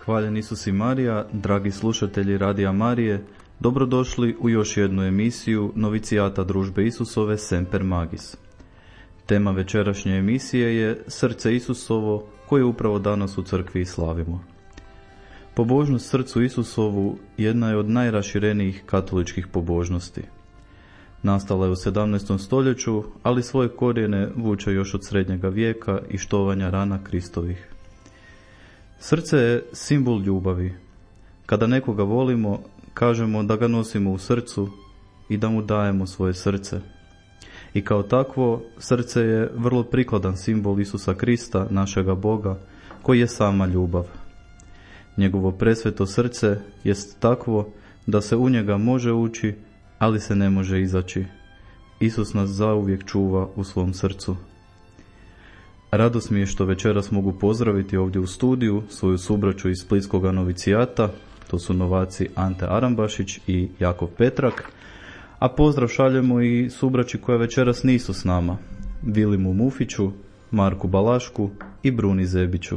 Hvaljen Isus i Marija, dragi slušatelji Radija Marije, dobrodošli u još jednu emisiju Novicijata Družbe Isusove Semper Magis. Tema večerašnje emisije je Srce Isusovo, koje upravo danas u crkvi i slavimo. Pobožnost Srcu Isusovu jedna je od najraširenijih katoličkih pobožnosti. Nastala je u 17. stoljeću, ali svoje korijene vuče još od srednjega vijeka i štovanja rana Kristovih. Srce je simbol ljubavi. Kada nekoga volimo, kažemo da ga nosimo u srcu i da mu dajemo svoje srce. I kao takvo, srce je vrlo prikladan simbol Isusa Krista, našega Boga, koji je sama ljubav. Njegovo presveto srce jest takvo da se u njega može ući, ali se ne može izaći. Isus nas zauvijek čuva u svom srcu. Radost mi je što večeras mogu pozdraviti ovdje u studiju svoju subraću iz Splitskoga novicijata, to su novaci Ante Arambašić i Jakov Petrak, a pozdrav šaljemo i subraći koja večeras nisu s nama, Vilimu Mufiću, Marku Balašku i Bruni Zebiću.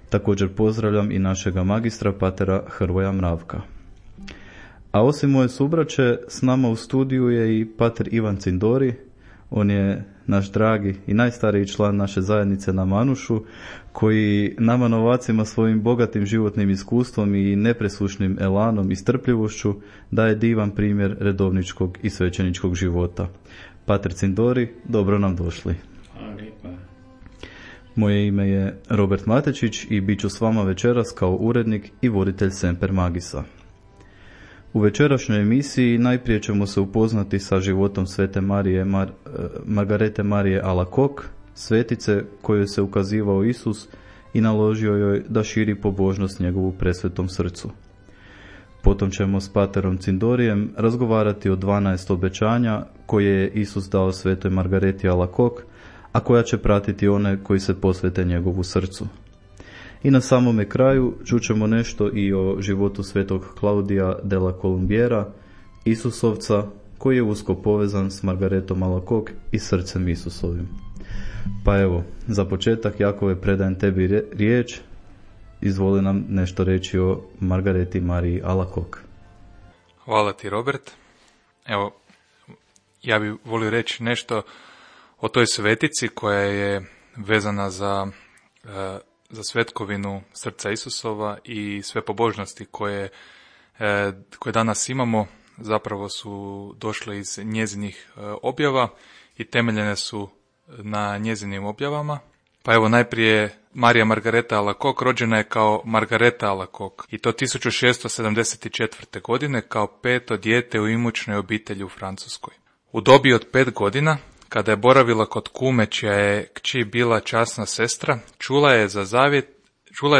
Također pozdravljam i našega magistra patera Hrvoja Mravka. A osim moje subraće, s nama u studiju je i pater Ivan Cindori. On je naš dragi i najstariji član naše zajednice na Manušu, koji nama novacima svojim bogatim životnim iskustvom i nepresušnim elanom i strpljivošću daje divan primjer redovničkog i svećeničkog života. Pater Cindori, dobro nam došli. Moje ime je Robert Matečić i bit ću s vama večeras kao urednik i voditelj Semper Magisa. U večerašnjoj emisiji najprije ćemo se upoznati sa životom svete Margarete Marije Alacoque, svetice kojoj se ukazivao Isus i naložio joj da širi pobožnost njegovu presvetom srcu. Potom ćemo s paterom Cindorijem razgovarati o 12 obećanja koje je Isus dao svetoj Margareti Alacoque, a koja će pratiti one koji se posvete njegovu srcu. I na samome kraju čućemo nešto i o životu svetog Claudia della Columbiera, Isusovca, koji je usko povezan s Margaretom Alacoque i srcem Isusovim. Pa evo, za početak, Jakove, predajem tebi riječ. Izvoli nam nešto reći o Margareti Mariji Alacoque. Hvala ti, Robert. Evo, ja bih volio reći nešto o toj svetici koja je vezana za svetkovinu srca Isusova i sve pobožnosti koje danas imamo zapravo su došle iz njezinih objava i temeljene su na njezinim objavama. Pa evo, najprije Marija Margareta Alacoque rođena je kao Margareta Alacoque i to 1674. godine kao peto dijete u imućnoj obitelji u Francuskoj. U dobi od 5 godina, kada je boravila kod kume čija je kći bila časna sestra, čula je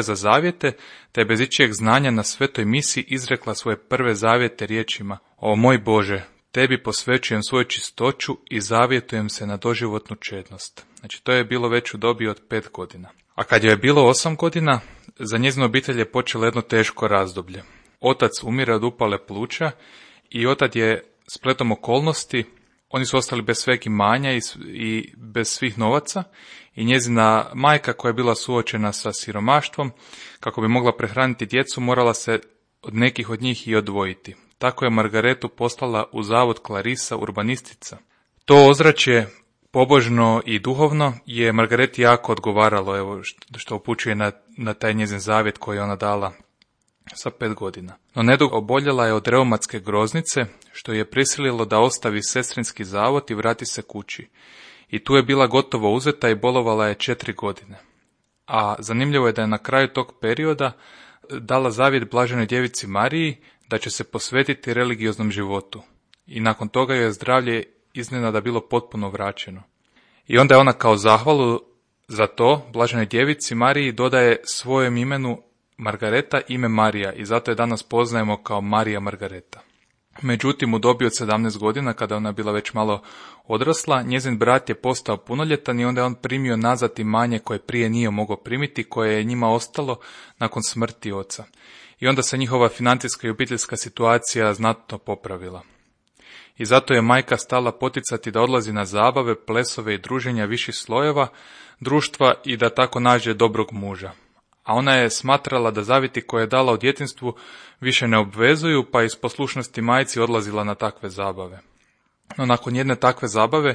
za zavjete, te bez ičijeg znanja na svetoj misi izrekla svoje prve zavjete riječima: O moj Bože, tebi posvećujem svoju čistoću i zavjetujem se na doživotnu čednost. Znači, to je bilo već u dobi od 5 godina. A kad joj je bilo 8 godina, za njezinu obitelj je počelo jedno teško razdoblje. Otac umire od upale pluća i otad je spletom okolnosti, oni su ostali bez sveg imanja i bez svih novaca, i njezina majka, koja je bila suočena sa siromaštvom, kako bi mogla prehraniti djecu, morala se od nekih od njih i odvojiti. Tako je Margaretu poslala u zavod Clarisa urbanistica. To ozračje, pobožno i duhovno, je Margareti jako odgovaralo, evo, što upućuje na taj njezin zavjet koji je ona dala sa 5 godina. No nedugo oboljela je od reumatske groznice, što je prisililo da ostavi sestrinski zavod i vrati se kući. I tu je bila gotovo uzeta i bolovala je 4 godine. A zanimljivo je da je na kraju tog perioda dala zavjet Blaženoj djevici Mariji da će se posvetiti religioznom životu. I nakon toga joj je zdravlje iznenada bilo potpuno vraćeno. I onda je ona kao zahvalu za to Blaženoj djevici Mariji dodaje svojem imenu Margareta ime Marija i zato je danas poznajemo kao Marija Margareta. Međutim, u dobi od 17 godina, kada ona bila već malo odrasla, njezin brat je postao punoljetan i onda je on primio nazad imanje koje prije nije mogao primiti, koje je njima ostalo nakon smrti oca. I onda se njihova financijska i obiteljska situacija znatno popravila. I zato je majka stala poticati da odlazi na zabave, plesove i druženja viših slojeva društva i da tako nađe dobrog muža. a ona je smatrala da zavjeti koje je dala u djetinjstvu više ne obvezuju, pa iz poslušnosti majci odlazila na takve zabave. No nakon jedne takve zabave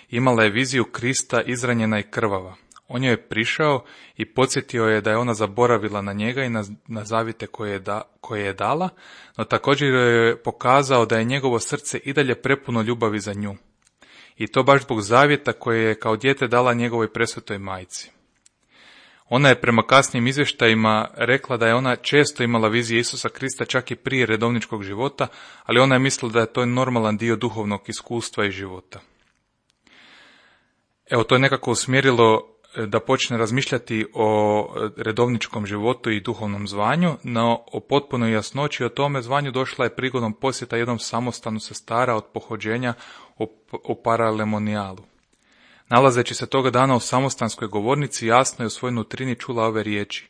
imala je viziju Krista izranjena i krvava. On joj je prišao i podsjetio je da je ona zaboravila na njega i na zavjete koje je dala, no također joj je pokazao da je njegovo srce i dalje prepuno ljubavi za nju. I to baš zbog zavjeta koje je kao dijete dala njegovoj presvetoj majci. Ona je prema kasnijim izvještajima rekla da je ona često imala vizije Isusa Krista čak i prije redovničkog života, ali ona je mislila da je to normalan dio duhovnog iskustva i života. Evo, to je nekako usmjerilo da počne razmišljati o redovničkom životu i duhovnom zvanju, no o potpunoj jasnoći o tome zvanju došla je prigodom posjeta jednom samostanu sestara od pohođenja u Paralemonijalu. Nalazeći se toga dana u samostanskoj govornici, jasno je u svojoj nutrini čula ove riječi: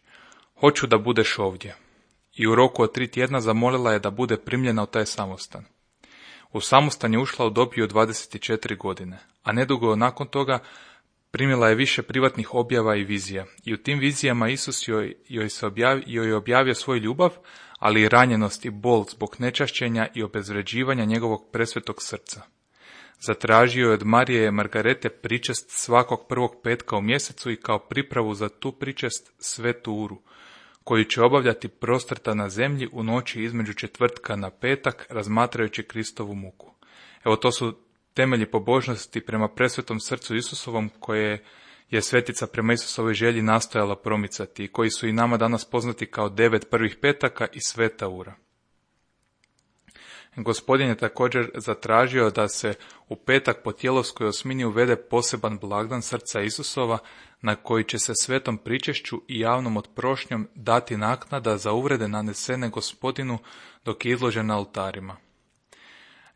"Hoću da budeš ovdje." I u roku od 3 tjedna zamolila je da bude primljena u taj samostan. U samostan je ušla u dobi od 24 godine, a nedugo nakon toga primila je više privatnih objava i vizija. I u tim vizijama Isus joj je objavio svoju ljubav, ali i ranjenost i bol zbog nečašćenja i obezvređivanja njegovog presvetog srca. Zatražio je od Marije Margarete pričest svakog prvog petka u mjesecu i kao pripravu za tu pričest svetu uru, koju će obavljati prostrta na zemlji u noći između četvrtka na petak, razmatrajući Kristovu muku. Evo, to su temelji pobožnosti prema presvetom srcu Isusovom, koje je svetica prema Isusovoj želji nastojala promicati i koji su i nama danas poznati kao 9 prvih petaka i sveta ura. Gospodin je također zatražio da se u petak po tjelovskoj osmini uvede poseban blagdan srca Isusova, na koji će se svetom pričešću i javnom otprošnjom dati naknada za uvrede nanesene Gospodinu dok je izložen na oltarima.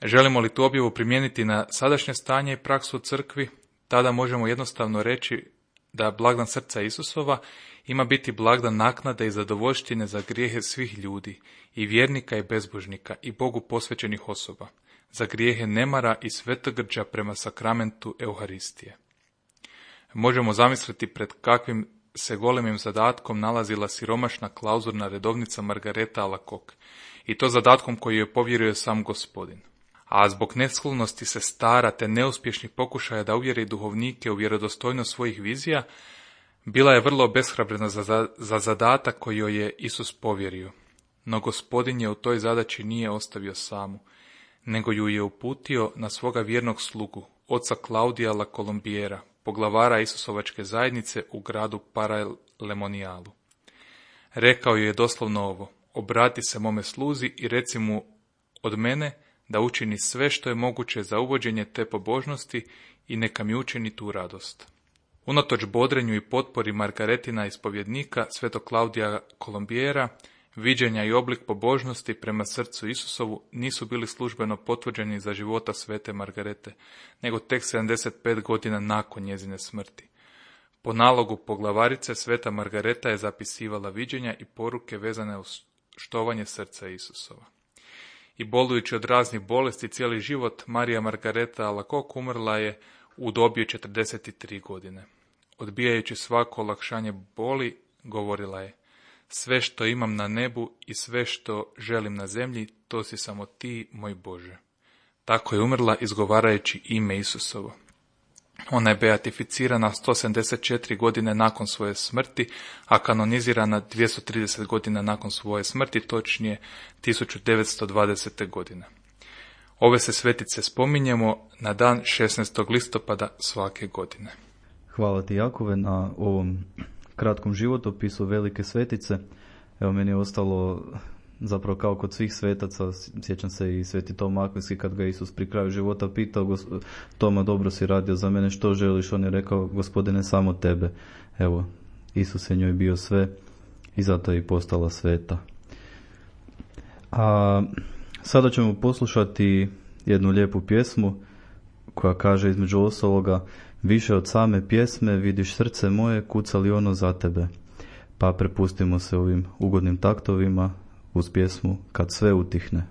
Želimo li tu objavu primijeniti na sadašnje stanje i praksu u crkvi, tada možemo jednostavno reći da blagdan srca Isusova ima biti blagdan naknade i zadovoljštine za grijehe svih ljudi, i vjernika i bezbožnika, i Bogu posvećenih osoba, za grijehe nemara i svetogrđa prema sakramentu Euharistije. Možemo zamisliti pred kakvim se golemim zadatkom nalazila siromašna klauzurna redovnica Margareta Alacoque, i to zadatkom koji je povjerio sam Gospodin. A zbog nesklonosti sestara te neuspješnih pokušaja da uvjeri duhovnike u vjerodostojnost svojih vizija, bila je vrlo obeshrabrena za zadatak koji joj je Isus povjerio. No Gospodin je u toj zadaći nije ostavio samu, nego ju je uputio na svoga vjernog slugu, oca Klaudija La Colombiera, poglavara Isusovačke zajednice u gradu Paralemonijalu. Rekao joj je doslovno ovo: "Obrati se mome sluzi i reci mu od mene da učini sve što je moguće za uvođenje te pobožnosti i neka mi učini tu radost." Unatoč bodrenju i potpori Margaretina ispovjednika, svetog Klaudija Colombiera, viđenja i oblik pobožnosti prema srcu Isusovu nisu bili službeno potvrđeni za života svete Margarete, nego tek 75 godina nakon njezine smrti. Po nalogu poglavarice, sveta Margareta je zapisivala viđenja i poruke vezane uz štovanje srca Isusova. I bolujući od raznih bolesti cijeli život, Marija Margareta Alacoque umrla je u dobi od 43 godine. Odbijajući svako olakšanje boli, govorila je: "Sve što imam na nebu i sve što želim na zemlji, to si samo ti, moj Bože." Tako je umrla izgovarajući ime Isusovo. Ona je beatificirana 174 godine nakon svoje smrti, a kanonizirana 230 godina nakon svoje smrti, točnije 1920. godine. Ove se svetice spominjemo na dan 16. listopada svake godine. Hvala ti, Jakove, na ovom kratkom životopisu velike svetice. Evo, meni je ostalo zapravo kao kod svih svetaca, sjećam se i sveti Toma Akvinski kad ga Isus pri kraju života pitao: "Toma, dobro si radio za mene, što želiš?" On je rekao: "Gospodine, samo tebe." Evo, Isus je njoj bio sve i zato je i postala sveta. A sada ćemo poslušati jednu lijepu pjesmu koja kaže između ostaloga: "Više od same pjesme vidiš srce moje, kuca li ono za tebe." Pa prepustimo se ovim ugodnim taktovima uz pjesmu Kad sve utihne.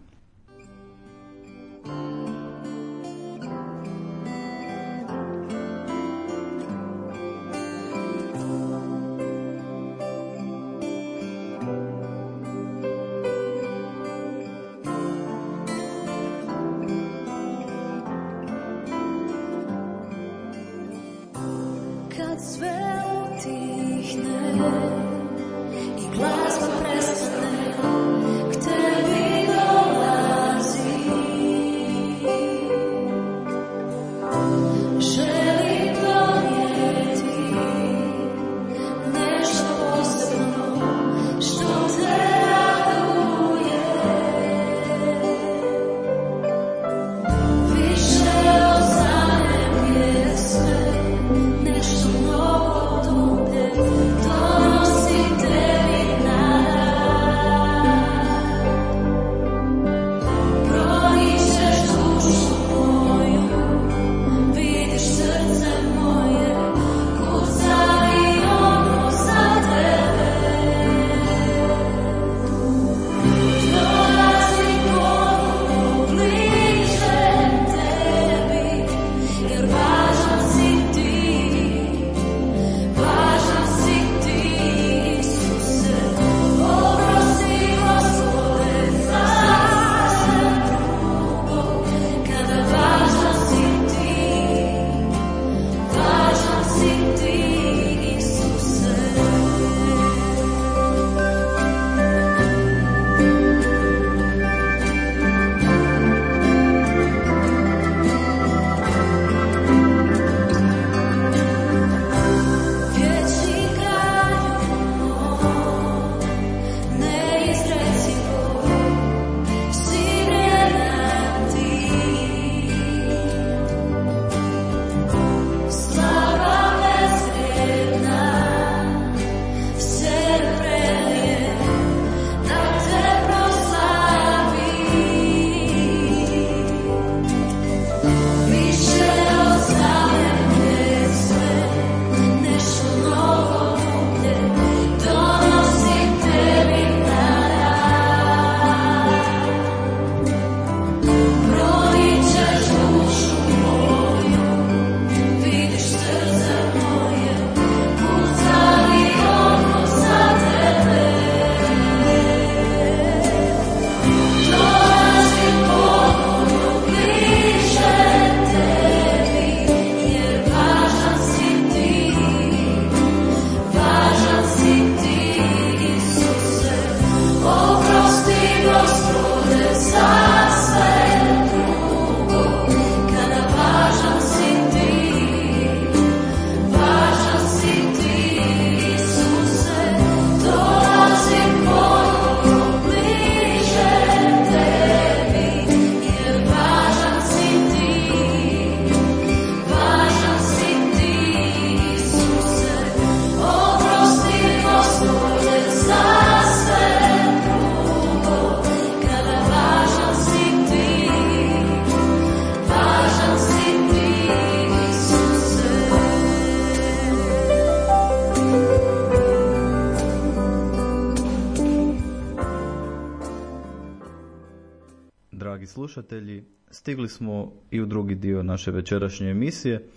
dragi slušatelji, stigli smo i u drugi dio naše večerašnje emisije,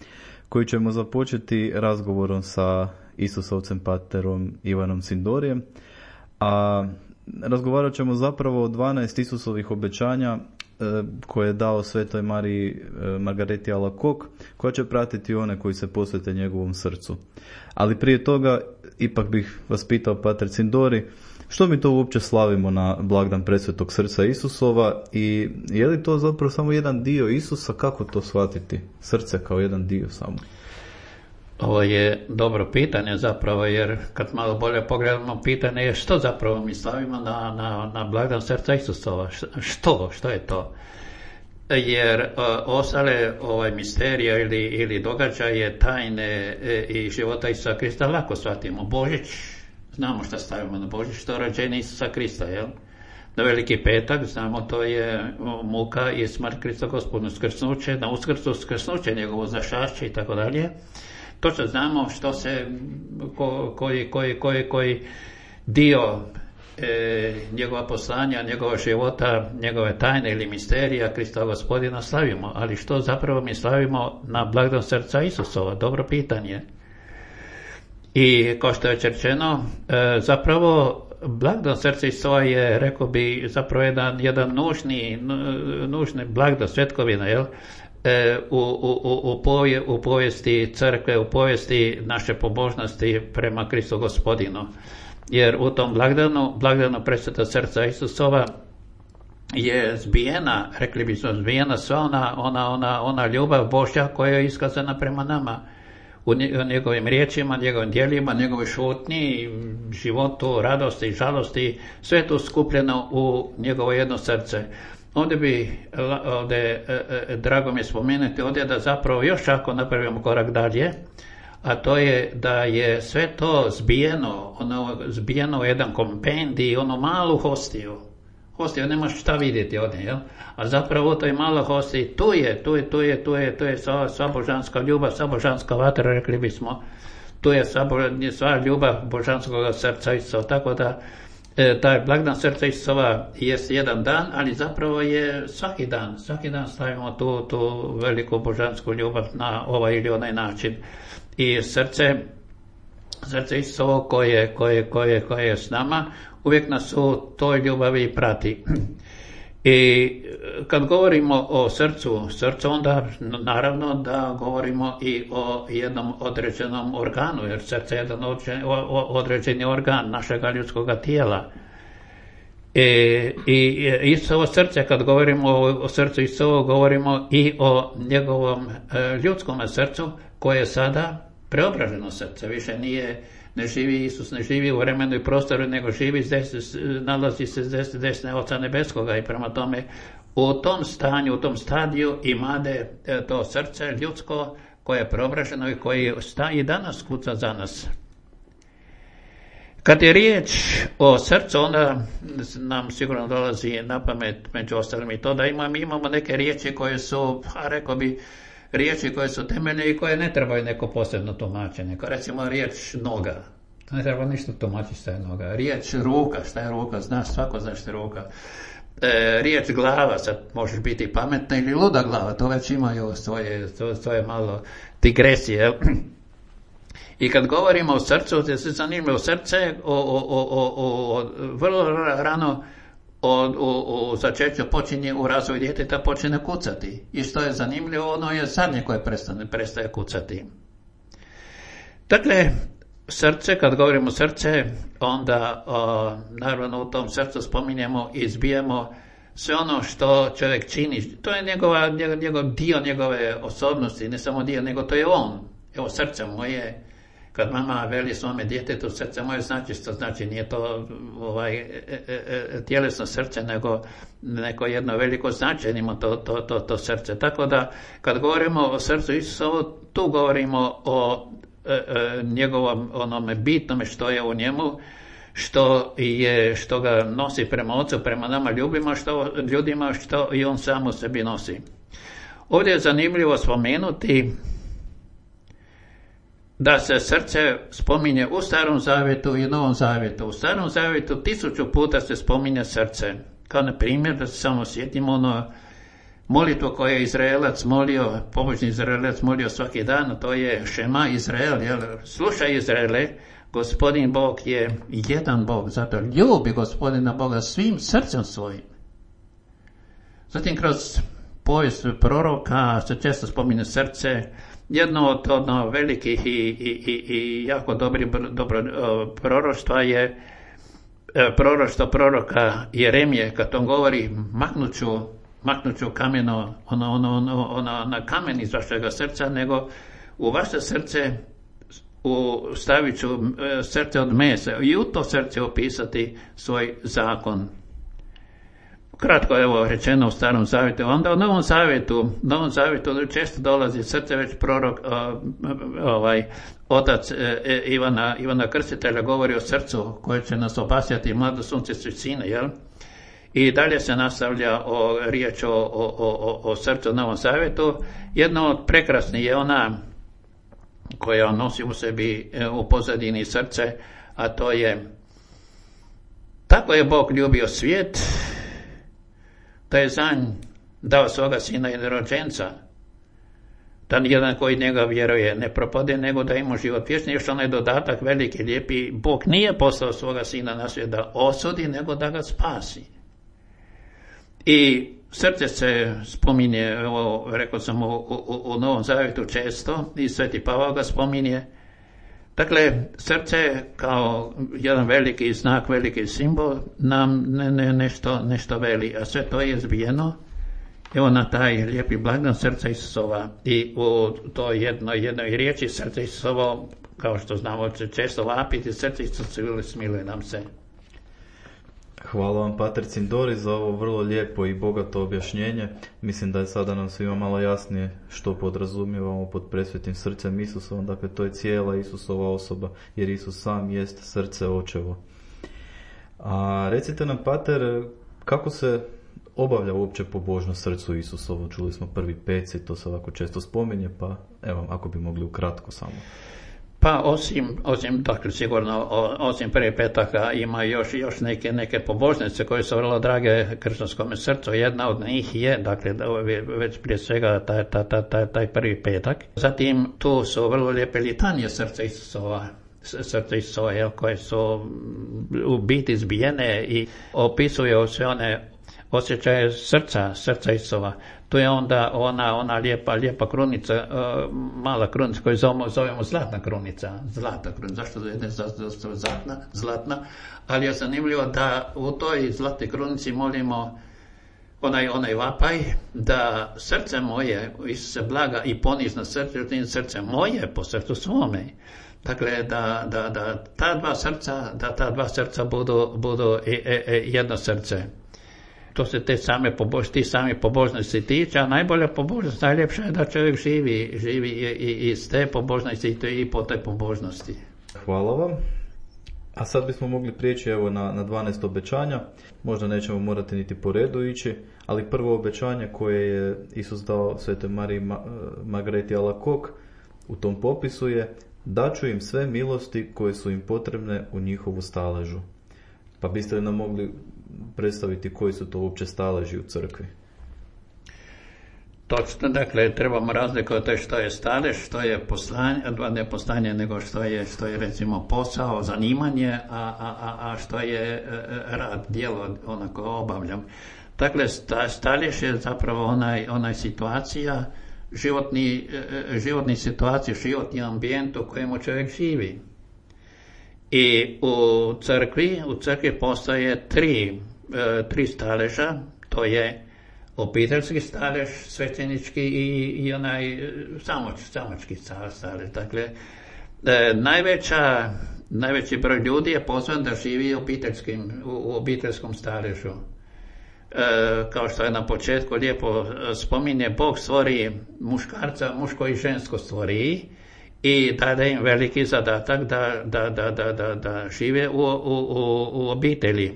koju ćemo započeti razgovorom sa Isusovcem paterom Ivanom Sindorijem, a razgovarat ćemo zapravo o 12 Isusovih obećanja koje je dao Svetoj Mariji Margareti Alacoque, koja će pratiti one koji se posvete njegovom srcu. Ali prije toga ipak bih vas pitao, pater Sindori, što mi to uopće slavimo na blagdan Presvetog srca Isusova i je li to zapravo samo jedan dio Isusa? Kako to shvatiti? Srce kao jedan dio samo? Ovo je dobro pitanje zapravo, jer kad malo bolje pogledamo, pitanje je što zapravo mi slavimo na blagdan srca Isusova. Što je to? Jer ostale misterije ili događaje, tajne i života Isusa Krista lako shvatimo. Božić, znamo što stavimo na Božić, to je rođenje Isusa Krista, jel? Na Veliki petak, znamo, to je muka i smrt Krista Gospodnja, skrsnuće, na Uskrsu skrsnuće njegovo zašašće i tako dalje. Točno znamo što se, koji dio njegova poslanja, njegova života, njegove tajne ili misterija Krista Gospodina slavimo. Ali što zapravo mi slavimo na blagdan srca Isusova? Dobro pitanje. I kao što je rečeno, zapravo blagdan srca Isusova je, rekao bi, zapravo jedan nužni blagdan, svetkovina, jel? U povijesti crkve, u povijesti naše pobožnosti prema Kristu Gospodinu. Jer u tom blagdanu Presvetog srca Isusova je zbijena, rekli bismo zbijena sva ona ljubav Božja koja je iskazana prema nama. U njegovim riječima, njegovim djelima, njegovoj šutnji, životu, radosti, žalosti, sve je to skupljeno u njegovo jedno srce. Ovdje drago mi je spomenuti ovdje da zapravo još ako napravimo korak dalje, a to je da je sve to zbijeno u jedan kompendij, onu malu hostiju. Hostiju nemaš šta vidjeti ovdje, jel? A zapravo u toj maloj hostiji tu je sva božanska ljubav, sva božanska vatra, rekli bismo. Tu je sva ljubav božanskog srca Isusa, tako da taj blagdan srca Isusova jest jedan dan, ali zapravo je svaki dan slavimo tu veliku božansku ljubav na ovaj ili onaj način. I srce Isusovo koje je s nama, uvijek nas u toj ljubavi prati. I kad govorimo o srcu, onda naravno da govorimo i o jednom određenom organu, jer srce je jedan određeni organ našega ljudskog tijela. I Isusovo srce, kad govorimo o srcu Isusovo, govorimo i o njegovom ljudskom srcu, koje je sada preobraženo srce. Više Isus ne živi u vremenu i prostoru, nego nalazi se s desne Oca Nebeskoga i prema tome u tom stanju, u tom stadiju imade to srce ljudsko koje je preobraženo i koji i danas kuca za nas. Kad je riječ o srcu, onda nam sigurno dolazi na pamet među ostalim i to da imamo neke riječi koje su, rekao bi, riječi koje su temeljne i koje ne trebaju neko posebno tumačenje. Kao recimo riječ noga. To ne treba ništa tumačiti šta je noga. Riječ ruka, šta je ruka? Svako zna šta je ruka. Riječ glava, sad možeš biti pametna ili luda glava, to već imaju svoje malo digresije. I kad govorimo o srcu, to je zanimljivo, srce vrlo rano u začeću počinje u razvoju djeteta počinje kucati. I što je zanimljivo, ono je zadnje koje prestaje kucati. Dakle, srce, kad govorimo srce, onda naravno u tom srcu spominjemo i izbijamo sve ono što čovjek čini. To je njegov dio njegove osobnosti, ne samo dio, nego to je on. Evo, srce moje, kad mama veli svome djetetu srce moje, znači što znači, nije to tjelesno srce, nego jedno veliko značenje ima to srce. Tako da kad govorimo o srcu Isusovu, tu govorimo o njegovom onome bitnome što je u njemu, što ga nosi prema Ocu, prema nama ljudima, što i on sam u sebi nosi. Ovdje je zanimljivo spomenuti da se srce spominje u Starom zavjetu i Novom zavjetu. U Starom zavjetu 1000 puta se spominje srce, Kao na primjer, da se samo sjetimo molitvu koju je Izraelac molio, pobožni Izraelac molio svaki dan, to je Šema Izrael, jel? Slušaj Izraele, Gospodin Bog je jedan Bog, zato ljubi Gospodina Boga svim srcem svojim. Zatim kroz povijest proroka se često spominje srce. Jedno od velikih i jako dobro proroštva je proroštvo proroka Jeremije, kad on govori maknut ću kameno, na kamen iz vašega srca, nego u vaše srce stavit ću srce od mesa i u to srce opisati svoj zakon. Kratko evo rečeno u Starom Zavjetu. Onda u Novom Zavjetu često dolazi srce, već prorok otac Ivana Krstitelja govori o srcu koje će nas obasjati mlado sunce sine, jel? I dalje se nastavlja riječ o srcu u Novom Zavjetu. Jedna od prekrasnih je ona koja nosi u sebi u pozadini srce, a to je: tako je Bog ljubio svijet, da je za nj dao svoga sina jednorođenca, da nijedan koji njega vjeruje ne propade, nego da ima život vječni. Još onaj dodatak veliki, lijepi: Bog nije poslao svoga sina na svijet da osudi, nego da ga spasi. I srce se spominje, rekao sam, u Novom Zavjetu često, i Sveti Pavao ga spominje. Dakle, srce kao jedan veliki znak, veliki simbol nam nešto veli, a sve to je zbijeno evo na taj lijepi blagdan srca Isusova. I u toj jednoj riječi srce Isusovo, kao što znamo često vapiti, srce Isusovo smiluje nam se. Hvala vam, pater Cindori, za ovo vrlo lijepo i bogato objašnjenje. Mislim da je sada nam svima malo jasnije što podrazumijevamo pod presvetim srcem Isusovom. Dakle, to je cijela Isusova osoba, jer Isus sam jest srce očevo. A recite nam, pater, kako se obavlja uopće pobožnost srcu Isusovo? Čuli smo prvi peci, to se ovako često spominje, pa evo, ako bi mogli ukratko samo. Pa osim dakle, sigurno osim prije petaka ima još neke pobožnice koje su vrlo drage kršćanskome srcu. Jedna od njih je, dakle, već prije svega taj prvi petak. Zatim tu su vrlo lijepe litanije srca Isusova, koje su u biti zbijene i opisuju sve one osjećaje srca Isusova. Tu je onda ona lijepa krunica, mala krunica koju zovemo zlatna krunica. Zašto je zlatna? Ali je zanimljivo da u toj zlatnoj krunici molimo onaj vapaj, da srce moje, Isuse blaga i ponizno srce moje po srcu svome. Dakle, da ta dva srca budu jedno srce. To se ti sami pobožnosti tiče, a najbolja pobožnost, najljepša je da čovjek živi i iz te pobožnosti i po te pobožnosti. Hvala vam. A sad bismo mogli prijeći evo na 12 obećanja. Možda nećemo morati niti po redu ići, ali prvo obećanje koje je Isus dao Svetoj Mariji Margareti Alacoque u tom popisu je: daću im sve milosti koje su im potrebne u njihovu staležu. Pa biste li nam mogli predstaviti koji su to uopće staleži u crkvi? Točno, dakle, trebamo razlikovati što je stalež, što je poslanje, ne poslanje, nego što je recimo posao, zanimanje, a što je rad, djelo, onako obavljam. Dakle, stalež je zapravo onaj situacija, životni situacija, životni ambijent u kojemu čovjek živi. I u crkvi postoje tri staleža, to je obiteljski stalež, svećenički i onaj samački stalež. Dakle, najveći broj ljudi je pozvan da živi u obiteljskom staležu. Kao što je na početku lijepo spominje, Bog stvori muškarca, muško i žensko stvori i daje im veliki zadatak da žive u obitelji.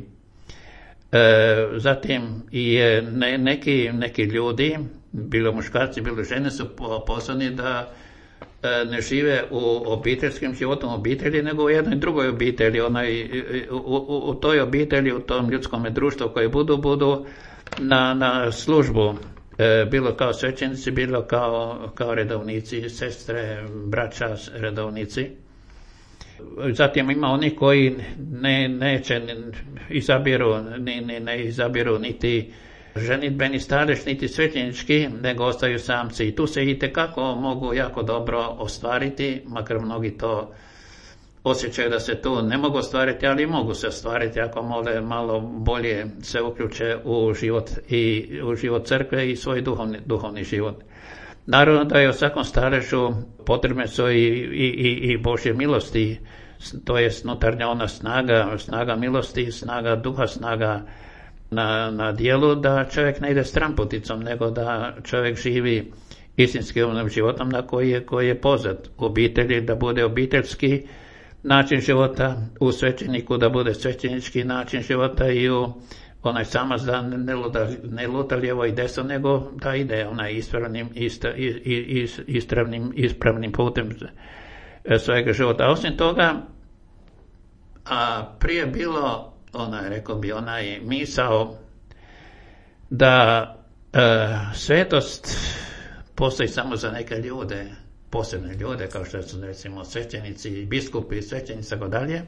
Zatim i neki ljudi, bilo muškarci, bilo žene, su poslani ne žive u obiteljskim životom obitelji, nego u jednoj drugoj obitelji. U toj obitelji, u tom ljudskom društvu koje budu na službu, bilo kao svećenici, bilo kao redovnici, sestre, braća, redovnici. Zatim ima oni koji ne izabiru niti ženidbeni stalež, niti svećenički, nego ostaju samci. I tu se itekako mogu jako dobro ostvariti, makar mnogi to osjećaju da se tu ne mogu ostvariti, ali mogu se ostvariti ako malo bolje se uključe u život crkve i svoj duhovni život. Naravno da je u svakom staležu potrebne su i Božje milosti, to je unutarnja ona snaga milosti, snaga duha, snaga na dijelu, da čovjek ne ide stramputicom, nego da čovjek živi istinskim onim životom na koji je pozvat. U obitelji da bude obiteljski način života, u svećeniku da bude svećenički način života i u onaj samac da ne luta lijevo i desno, nego da ide onaj ispravnim putem svojega života. A osim toga, prije bilo onaj misao da svetost postoji samo za neke ljude, posebne ljude, kao što su recimo svećenici, biskupi, svećenici, tako dalje.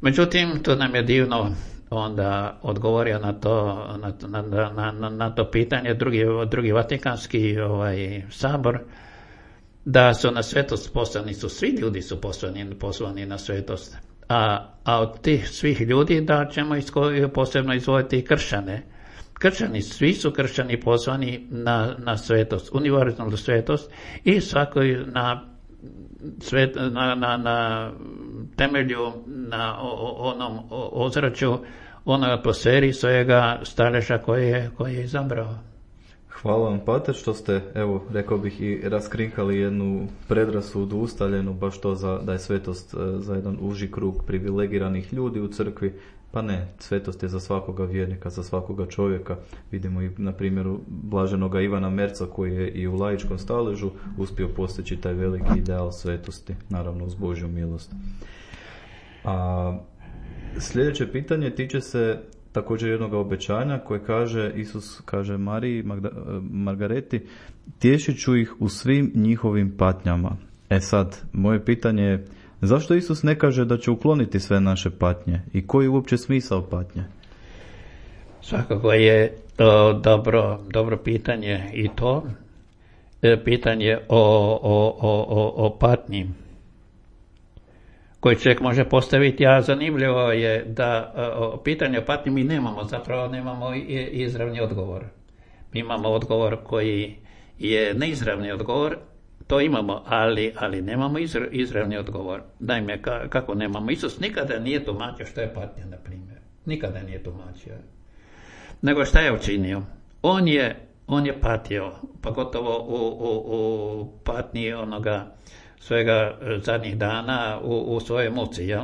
Međutim, to nam je divno onda odgovorio na to pitanje drugi Vatikanski sabor, da su na svetost poslani svi ljudi su poslani na svetost. A od tih svih ljudi da ćemo posebno izdvojiti i kršćane. Kršćani, svi su kršćani poslani na svetost, univerzalnu svetost i svakoj na temelju, na onom ozračju, onoj atmosferi svojega staleža koje je izabrao. Hvala vam, pater, što ste, evo, rekao bih, i raskrinkali jednu predrasudu ustaljenu, baš to da je svetost za jedan uži krug privilegiranih ljudi u crkvi. Pa ne, svetost je za svakoga vjernika, za svakoga čovjeka. Vidimo i na primjeru blaženoga Ivana Merca, koji je i u laičkom staležu uspio postići taj veliki ideal svetosti, naravno uz Božju milost. A sljedeće pitanje tiče se također jednog obećanja koje Isus kaže Mariji Margareti: tješit ću ih u svim njihovim patnjama. Sad, moje pitanje je, zašto Isus ne kaže da će ukloniti sve naše patnje i koji je uopće smisao patnje? Svakako je dobro pitanje i to pitanje o patnji koji čovjek može postaviti, a zanimljivo je da pitanje o patnji mi nemamo izravni odgovor. Mi imamo odgovor koji je neizravni odgovor, to imamo, ali nemamo izravni odgovor. Naime, kako nemamo? Isus nikada nije tumačio što je patnja, na primjer. Nikada nije tumačio. Nego šta je učinio? On je patio, pa gotovo u patnji onoga svojega zadnjih dana u svojoj muci, jel?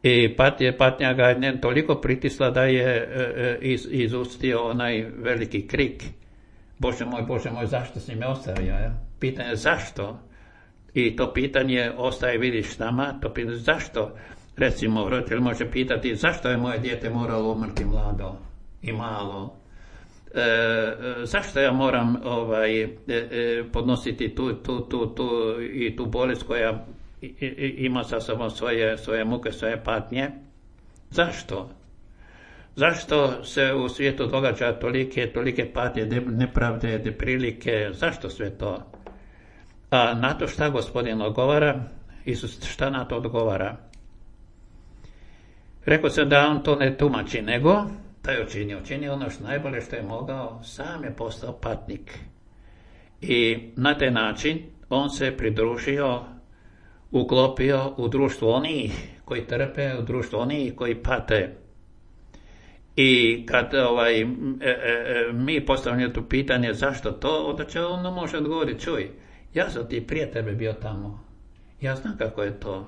I patnja ga je toliko pritisla da je izustio onaj veliki krik: Bože moj, zašto si me ostavio? Ja? Pitanje zašto? I to pitanje ostaje, vidiš, nama. To pitanje zašto? Recimo, roditelj može pitati zašto je moje dijete moralo umrti mlado i malo? Zašto ja moram podnositi tu bolest koja ima sa sobom svoje muke, svoje patnje? Zašto? Zašto se u svijetu događa tolike patnje, nepravde, neprilike? Zašto sve to? A na to šta Gospodin odgovara? Isus šta na to odgovara? Rekao sam da on to ne tumači, nego da je učinio ono što najbolje što je mogao, sam je postao patnik. I na taj način on se pridružio, uklopio u društvo onih koji trpe, u društvo onih koji pate. I kad mi postavljamo to pitanje zašto to, onda će on može odgovoriti: čuj, ja sam ti prije tebe bio tamo, ja znam kako je to.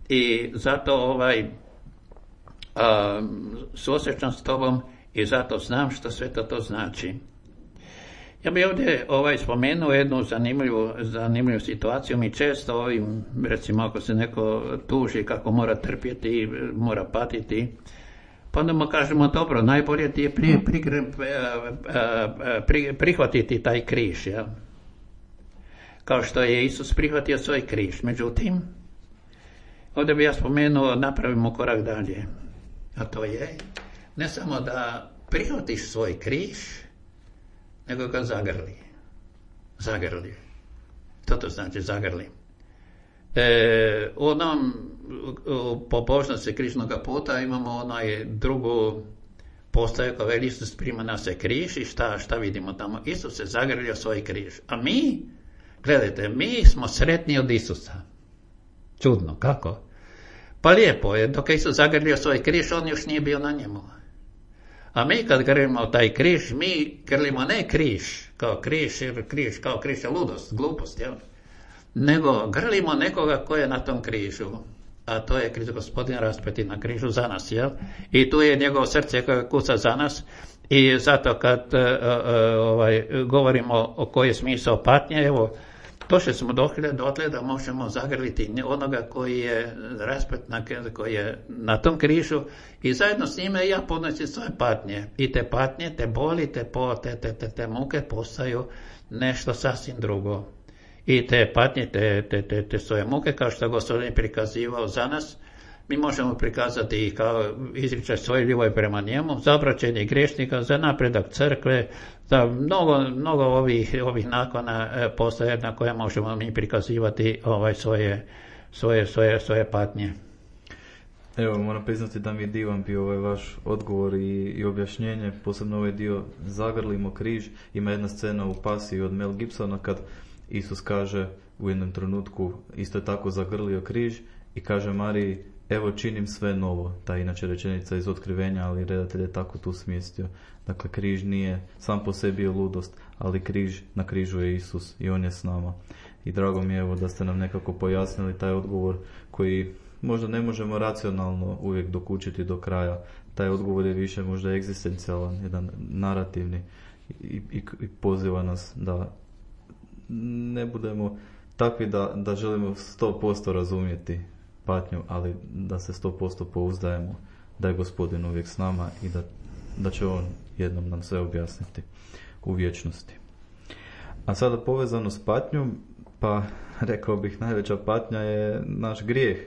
I zato suosjećam s tobom i zato znam što sve to znači. Ja bih ovdje spomenuo jednu zanimljivu situaciju. Mi često recimo ako se neko tuži kako mora trpjeti, mora patiti, pa onda mu kažemo dobro, najbolje ti je prihvatiti taj križ. Ja? Kao što je Isus prihvatio svoj križ. Međutim, ovdje bih ja spomenuo, napravimo korak dalje. A to je, ne samo da prihvatiš svoj križ, nego ga zagrli. Što to znači zagrli? U pobožnosti križnog puta imamo drugu postaju koja veli Isus prima na se križ i šta vidimo tamo? Isus se zagrlio svoj križ. A mi, gledajte, mi smo sretni od Isusa. Čudno, kako? Pa lijepo je, dok je Isus zagrlio svoj križ, on još nije bio na njemu. A mi kad grlimo taj križ, mi grlimo ne križ kao križ je ludost, glupost, jel? Nego grlimo nekoga ko je na tom križu. A to je Krist Gospodin raspeti na križu za nas, jel? I tu je njegovo srce koje kuca za nas. I zato kad govorimo o koji je smisao patnje, evo, došli smo dotle da možemo zagrliti onoga koji je raspet koji je na tom križu i zajedno s njime ja podnosim svoje patnje. I te patnje, te boli, te muke postaju nešto sasvim drugo. I te patnje, te svoje muke, kao što je Gospodin prikazivao za nas, mi možemo prikazati i kao izričaj svoje ljubavi prema njemu, za obraćenje griješnika, za napredak crkve, za mnogo ovih nakona postoje na koje možemo mi prikazivati svoje patnje. Evo, moram priznati da mi je divan bio ovaj vaš odgovor i objašnjenje, posebno ovaj dio zagrlimo križ. Ima jedna scena u Pasiji od Mel Gibsona kad Isus kaže u jednom trenutku isto tako zagrlio križ i kaže Mariji, evo činim sve novo. Ta inače rečenica iz Otkrivenja, ali redatelj je tako tu smjestio. Dakle, križ nije sam po sebi je ludost, ali na križu je Isus i on je s nama. I drago mi je evo da ste nam nekako pojasnili taj odgovor koji možda ne možemo racionalno uvijek dokučiti do kraja. Taj odgovor je više možda egzistencijalan, jedan narativni i poziva nas da ne budemo takvi da želimo 100% razumjeti patnju, ali da se 100% pouzdajemo da je Gospodin uvijek s nama i da će on jednom nam sve objasniti u vječnosti. A sada povezano s patnjom, pa rekao bih najveća patnja je naš grijeh.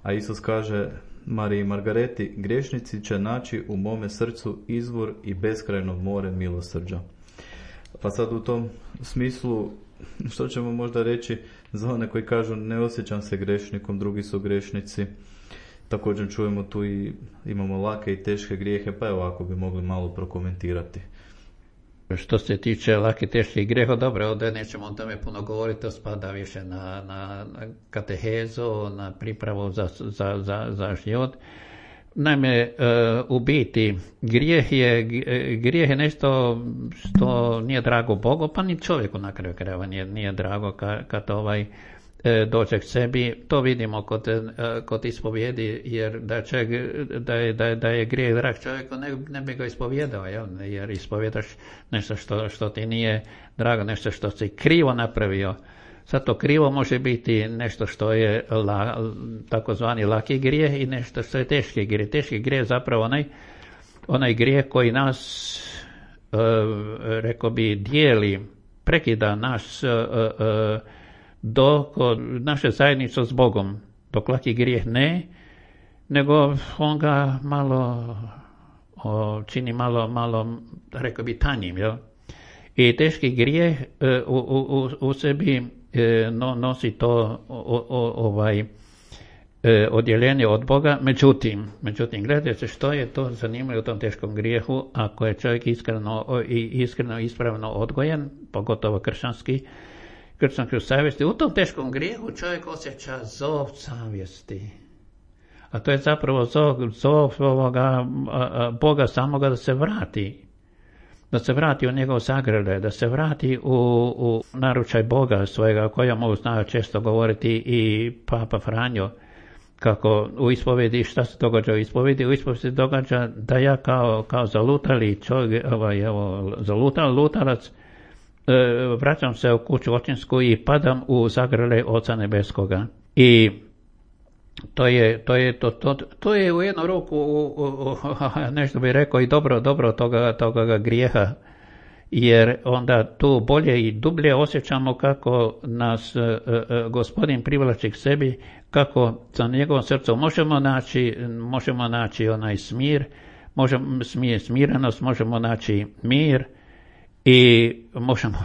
A Isus kaže Mariji Margareti, griješnici će naći u mome srcu izvor i beskrajno more milosrđa. Pa sad u tom smislu, što ćemo možda reći za one koji kažu ne osjećam se grešnikom, drugi su grešnici. Također čujemo tu i imamo lake i teške grijehe, pa evo ako bi mogli malo prokomentirati. Što se tiče lake i teških grijeha, dobro, ovdje nećemo o tome puno govoriti, to spada više na katehezu, na pripravu za život. Naime, u biti, grijeh je nešto što nije drago Bogu, pa ni čovjeku na kraju krajeva nije drago kad dođe k sebi. To vidimo kod ispovjedi, jer da je grijeh drag čovjeku, ne bi ga ispovjedao, jer ispovjedaš nešto što ti nije drago, nešto što si krivo napravio. Sad to krivo može biti nešto što je takozvani laki grijeh i nešto što je teški grijeh. Teški grijeh je zapravo onaj grijeh koji nas, rekao bi, dijeli, prekida naše zajednice s Bogom. Dok laki grijeh ne, nego on ga čini malo, rekao bi, tanjim. Jel? I teški grijeh u sebi nosi to odjeljenje od Boga. Međutim, gledajte što je to zanimljivo u tom teškom grijehu. Ako je čovjek iskreno ispravno odgojen, pogotovo kršćanski savjesti, u tom teškom grijehu čovjek osjeća zov savjesti. A to je zapravo zov ovoga Boga samoga da se vrati u njegov zagrljaj, da se vrati u naručaj Boga svojega, o kojemu znaju često govoriti i Papa Franjo, kako u ispovedi, šta se događa u ispovedi? U ispovedi se događa da ja kao zalutali čovjek, lutalac, vraćam se u kuću očinsku i padam u zagrljaj Oca Nebeskoga. I to je u jednu ruku, nešto bih rekao, i dobro toga grijeha, jer onda tu bolje i dublje osjećamo kako nas Gospodin privlači k sebi, kako za njegovom srcu možemo naći onaj smirenost, možemo naći mir i možemo,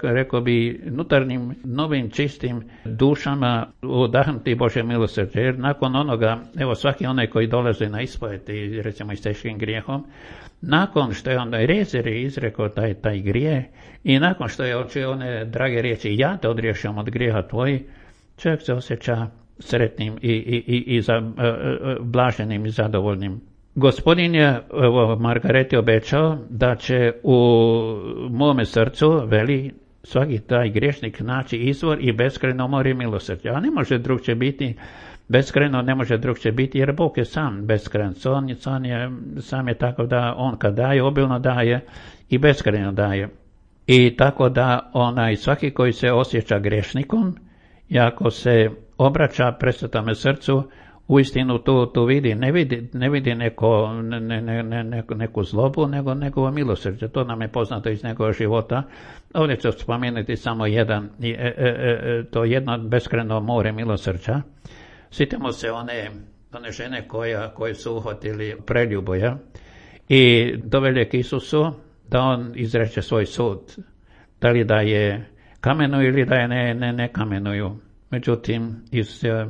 rekao bi, unutarnjim, novim, čistim dušama udahnuti Božje milosrđe. Jer nakon onoga, evo svaki onaj koji dolazi na ispoved i recimo i s teškim grijehom, nakon što je onda Rezer izrekao taj grijeh i nakon što je očio one drage riječi, ja te odriješam od grijeha tvoji, čovjek se osjeća sretnim i blaženim i zadovoljnim. Gospodin je Margareti obećao da će u mome srcu, veli, svaki taj griješnik naći izvor i beskrajno more milosrđa. A ne može drugčije biti, beskrajno ne može drugčije biti, jer Bog je sam beskrajan. Sam je tako da on kad daje, obilno daje i beskrajno daje. I tako da svaki koji se osjeća grešnikom, i ako se obraća presvetome srcu, uistinu tu vidi, ne vidi neku zlobu, nego njegovo milosrđe. To nam je poznato iz njegovog života. Ovdje ću spomenuti samo to jedno beskrajno more milosrđa. Sjetimo se one žene koje su uhvatili preljuboja i doveli k Isusu da on izreče svoj sud. Da li da je kamenuju ili da je ne kamenuju. Međutim, Isus je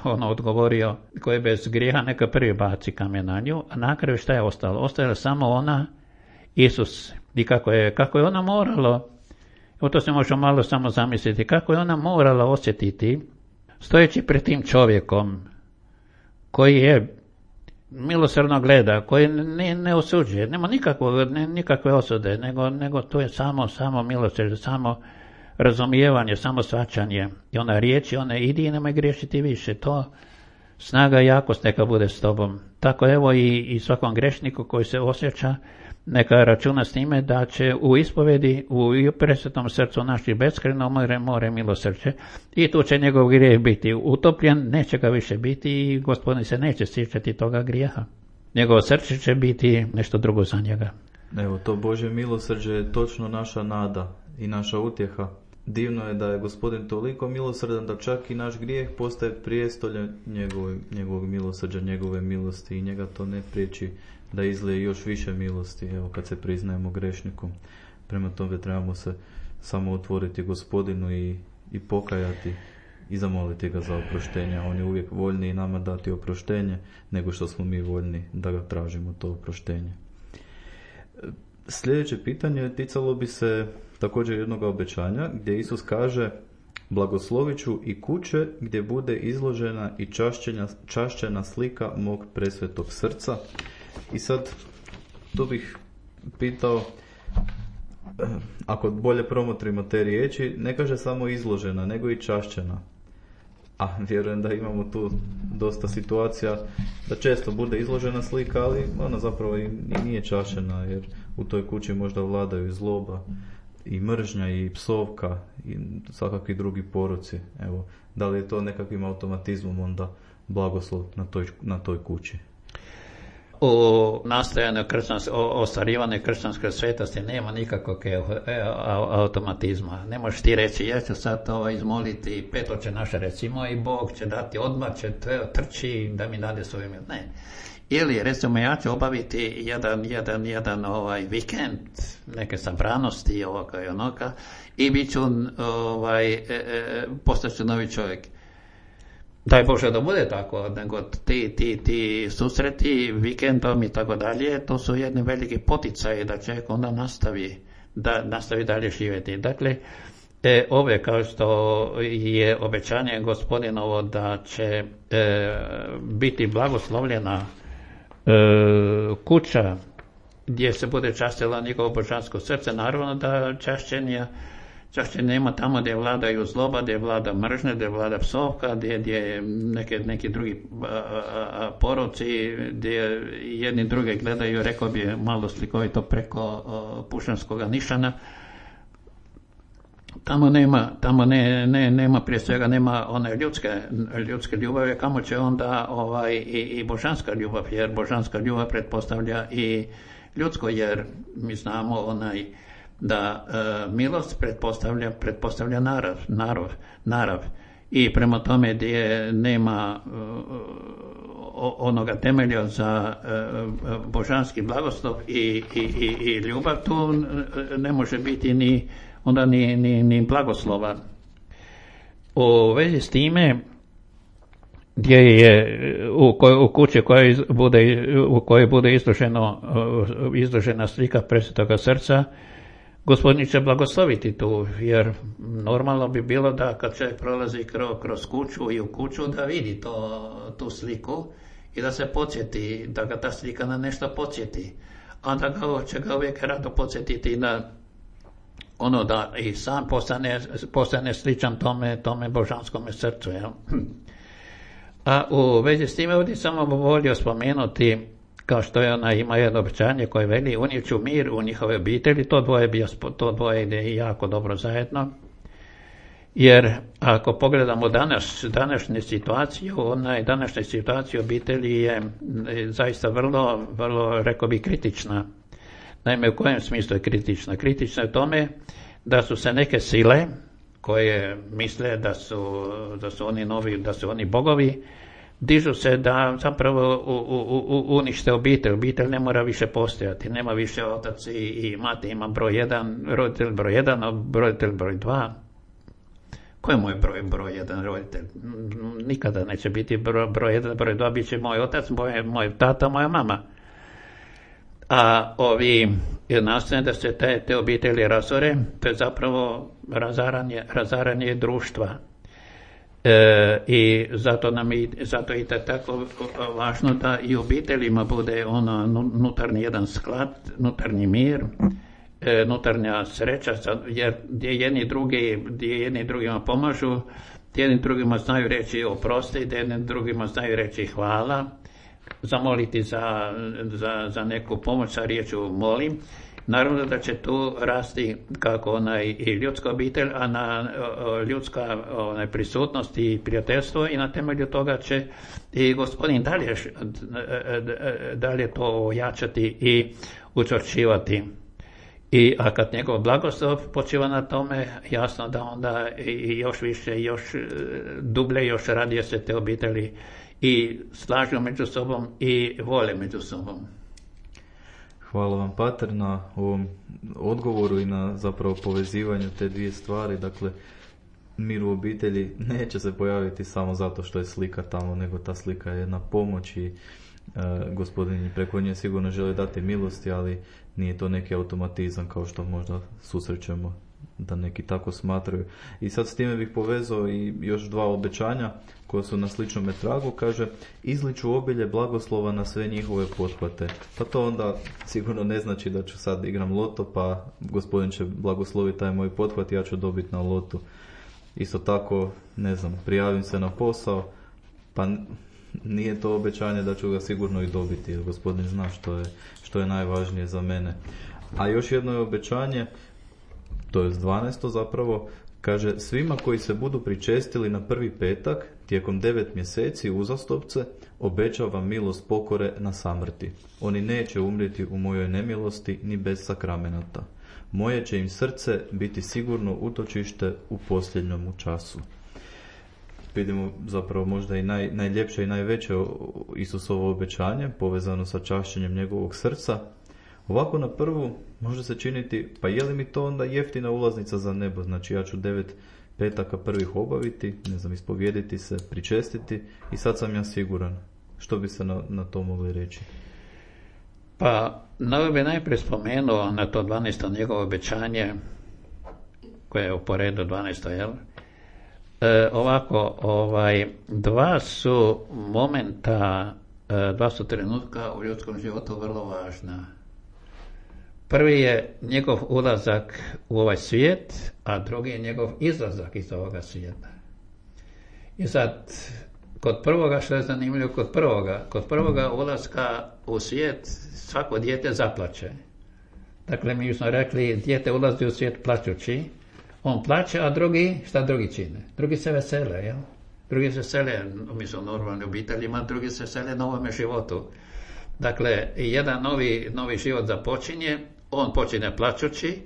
odgovorio, ko je bez grijeha neka prvi baci kamen na nju, a na kraju šta je ostalo? Ostala samo ona, Isus. I kako je ona morala, to se može malo samo zamisliti, kako je ona morala osjetiti, stojeći pred tim čovjekom, koji je milosrdno gleda, koji ne osuđuje, nema nikakve osude, nego to je samo milosrđe, samo razumijevanje, samo shvaćanje. I ona riječi, idi i nemoj griješiti više. To snaga i jakost neka bude s tobom. Tako evo i svakom grešniku koji se osjeća, neka računa s time da će u ispovedi, u presvetom srcu naši beskrajno more milosrđe i tu će njegov grijeh biti utopljen, neće ga više biti i Gospodin se neće sjećati toga grijeha. Njegovo srce će biti nešto drugo za njega. Evo, to Božje milosrđe je točno naša nada i naša utjeha. Divno je da je Gospodin toliko milosrdan da čak i naš grijeh postaje prijestolje njegovog milosrđa, njegove milosti i njega to ne priječi da izlije još više milosti, evo kad se priznajemo grešnikom. Prema tome trebamo se samo otvoriti Gospodinu i pokajati i zamoliti ga za oproštenje. On je uvijek voljniji nama dati oproštenje nego što smo mi voljni da ga tražimo to oproštenje. Sljedeće pitanje ticalo bi se također jednog obećanja gdje Isus kaže: blagoslovit ću i kuće gdje bude izložena i čašćena slika mog presvetog srca. I sad tu bih pitao, ako bolje promotrimo te riječi, ne kaže samo izložena, nego i čašćena. A vjerujem da imamo tu dosta situacija da često bude izložena slika, ali ona zapravo i nije čašćena, jer u toj kući možda vladaju i zloba, i mržnja, i psovka, i svakakvi drugi poroci. Evo, da li je to nekakvim automatizmom onda blagoslov na toj kući? U nastojanju ostvarivanja kršćanske svetosti nema nikakvog automatizma. Ne možeš ti reći, ja ću sad izmoliti Pet Oče naše, recimo, i Bog će dati odmah, će trči da mi dade svoje mil. Ne. Ili, recimo, ja ću obaviti jedan vikend, neke sabranosti, ovoga i onoga, i bit ću, postaću novi čovjek. Daj Bože da bude tako, nego ti susreti, vikendom i tako dalje, to su jedni veliki poticaji da čovjek onda nastavi dalje živjeti. Dakle, ove, kao što je obećanje Gospodinovo da će biti blagoslovljena kuća gdje se bude častila njegovo božansko srce, naravno da čašćenje nema tamo gdje vladaju zloba, gdje vlada mržnja, gdje vlada psovka, gdje neki drugi poroci, gdje jedni druge gledaju, rekao bi malo slikovito, preko pušanskog nišana. tamo nema prije svega nema one ljudske ljubavi, kamo će onda i božanska ljubav, jer božanska ljubav pretpostavlja i ljudsko, jer mi znamo da milost pretpostavlja narav. I prema tome gdje nema onoga temelja za božanski blagoslov i ljubav, tu ne može biti ni blagoslova. U vezi s time, gdje je u kući u kojoj bude izložena slika Presvetoga srca, Gospodin će blagosloviti tu, jer normalno bi bilo da kad čovjek prolazi kroz kuću i u kuću da vidi tu sliku i da se podsjeti, da ga ta slika na nešto podsjeti, a da će ga uvijek rado podsjetiti da da i sam postane sličan tome božanskome srcu. Jel? A u vezi s time ovdje samo volio spomenuti, kao što je ima jedno obećanje koje veli, unijet ću mir u njihove obitelji, to dvoje ide jako dobro zajedno, jer ako pogledamo današnju situaciju obitelji je zaista vrlo, rekao bi, kritična. Naime, u kojem smislu je kritična? Kritična je u tome da su se neke sile koje misle da su oni novi, da su oni bogovi, dižu se da zapravo unište obitelj. Obitelj ne mora više postojati, nema više otac i mati, ima roditelj broj 1, roditelj broj 2. Ko je moj broj 1 roditelj? Nikada neće biti broj 1, broj 2, bit će moj otac, moj tata, moja mama. A ovi nastoje da se te obitelji razore, to je zapravo razaranje društva. I zato je tako važno da i u obiteljima bude unutarnji jedan sklad, unutarnji mir, unutarnja sreća, jer gdje jedni drugima pomažu, gdje jedni drugima znaju reći oprosti, gdje jedni drugima znaju reći hvala, zamoliti za neku pomoć sa riječju molim. Naravno da će tu rasti kako i ljudska obitelj, a na ljudska prisutnost i prijateljstvo, i na temelju toga će i Gospodin dalje to ojačati i učvršćivati. A kad njegov blagoslov počiva na tome, jasno da onda i još više, još dublje, još radije se te obitelji i slažu među sobom i vole među sobom. Hvala vam, pater, na ovom odgovoru i na zapravo povezivanju te dvije stvari. Dakle, mir u obitelji neće se pojaviti samo zato što je slika tamo, nego ta slika je jedna pomoć i Gospodin preko nje sigurno želi dati milosti, ali nije to neki automatizam kao što možda susrećemo da neki tako smatraju. I sad s time bih povezao i još dva obećanja koja su na sličnom tragu. Kaže, izliču obilje blagoslova na sve njihove pothvate. Pa to onda sigurno ne znači da ću sad igram loto pa Gospodin će blagosloviti taj moj pothvat i ja ću dobiti na lotu. Isto tako, ne znam, prijavim se na posao, pa nije to obećanje da ću ga sigurno i dobiti, jer Gospodin zna što je najvažnije za mene. A još jedno je obećanje, to je 12. zapravo, kaže, svima koji se budu pričestili na prvi petak tijekom 9 mjeseci uzastopce, obećavam milost pokore na samrti. Oni neće umrijeti u mojoj nemilosti ni bez sakramenata. Moje će im srce biti sigurno utočište u posljednjem času. Vidimo zapravo možda i najljepše i najveće Isusovo obećanje povezano sa čašćenjem njegovog srca. Ovako na prvu može se činiti, pa je li mi to onda jeftina ulaznica za nebo? Znači ja ću 9 petaka prvih obaviti, ne znam, ispovijediti se, pričestiti i sad sam ja siguran. Što bi se na to mogli reći? Pa, ovo bi najprije spomenuo na to 12. njegovo obećanje, koje je po redu 12. jel? Dva su momenta, dva su trenutka u ljudskom životu vrlo važna. Prvi je njegov ulazak u ovaj svijet, a drugi je njegov izlazak iz ovoga svijeta. I sad, kod prvoga, što je zanimljivo, kod prvoga ulaska u svijet svako dijete zaplače. Dakle, mi smo rekli, dijete ulazi u svijet plačući, On plaće, a šta drugi čine? Drugi se vesele, jel? Drugi se vesele, mi su normalni obiteljima, drugi se vesele novome životu. Dakle, jedan novi život započinje, on počinje plaćući,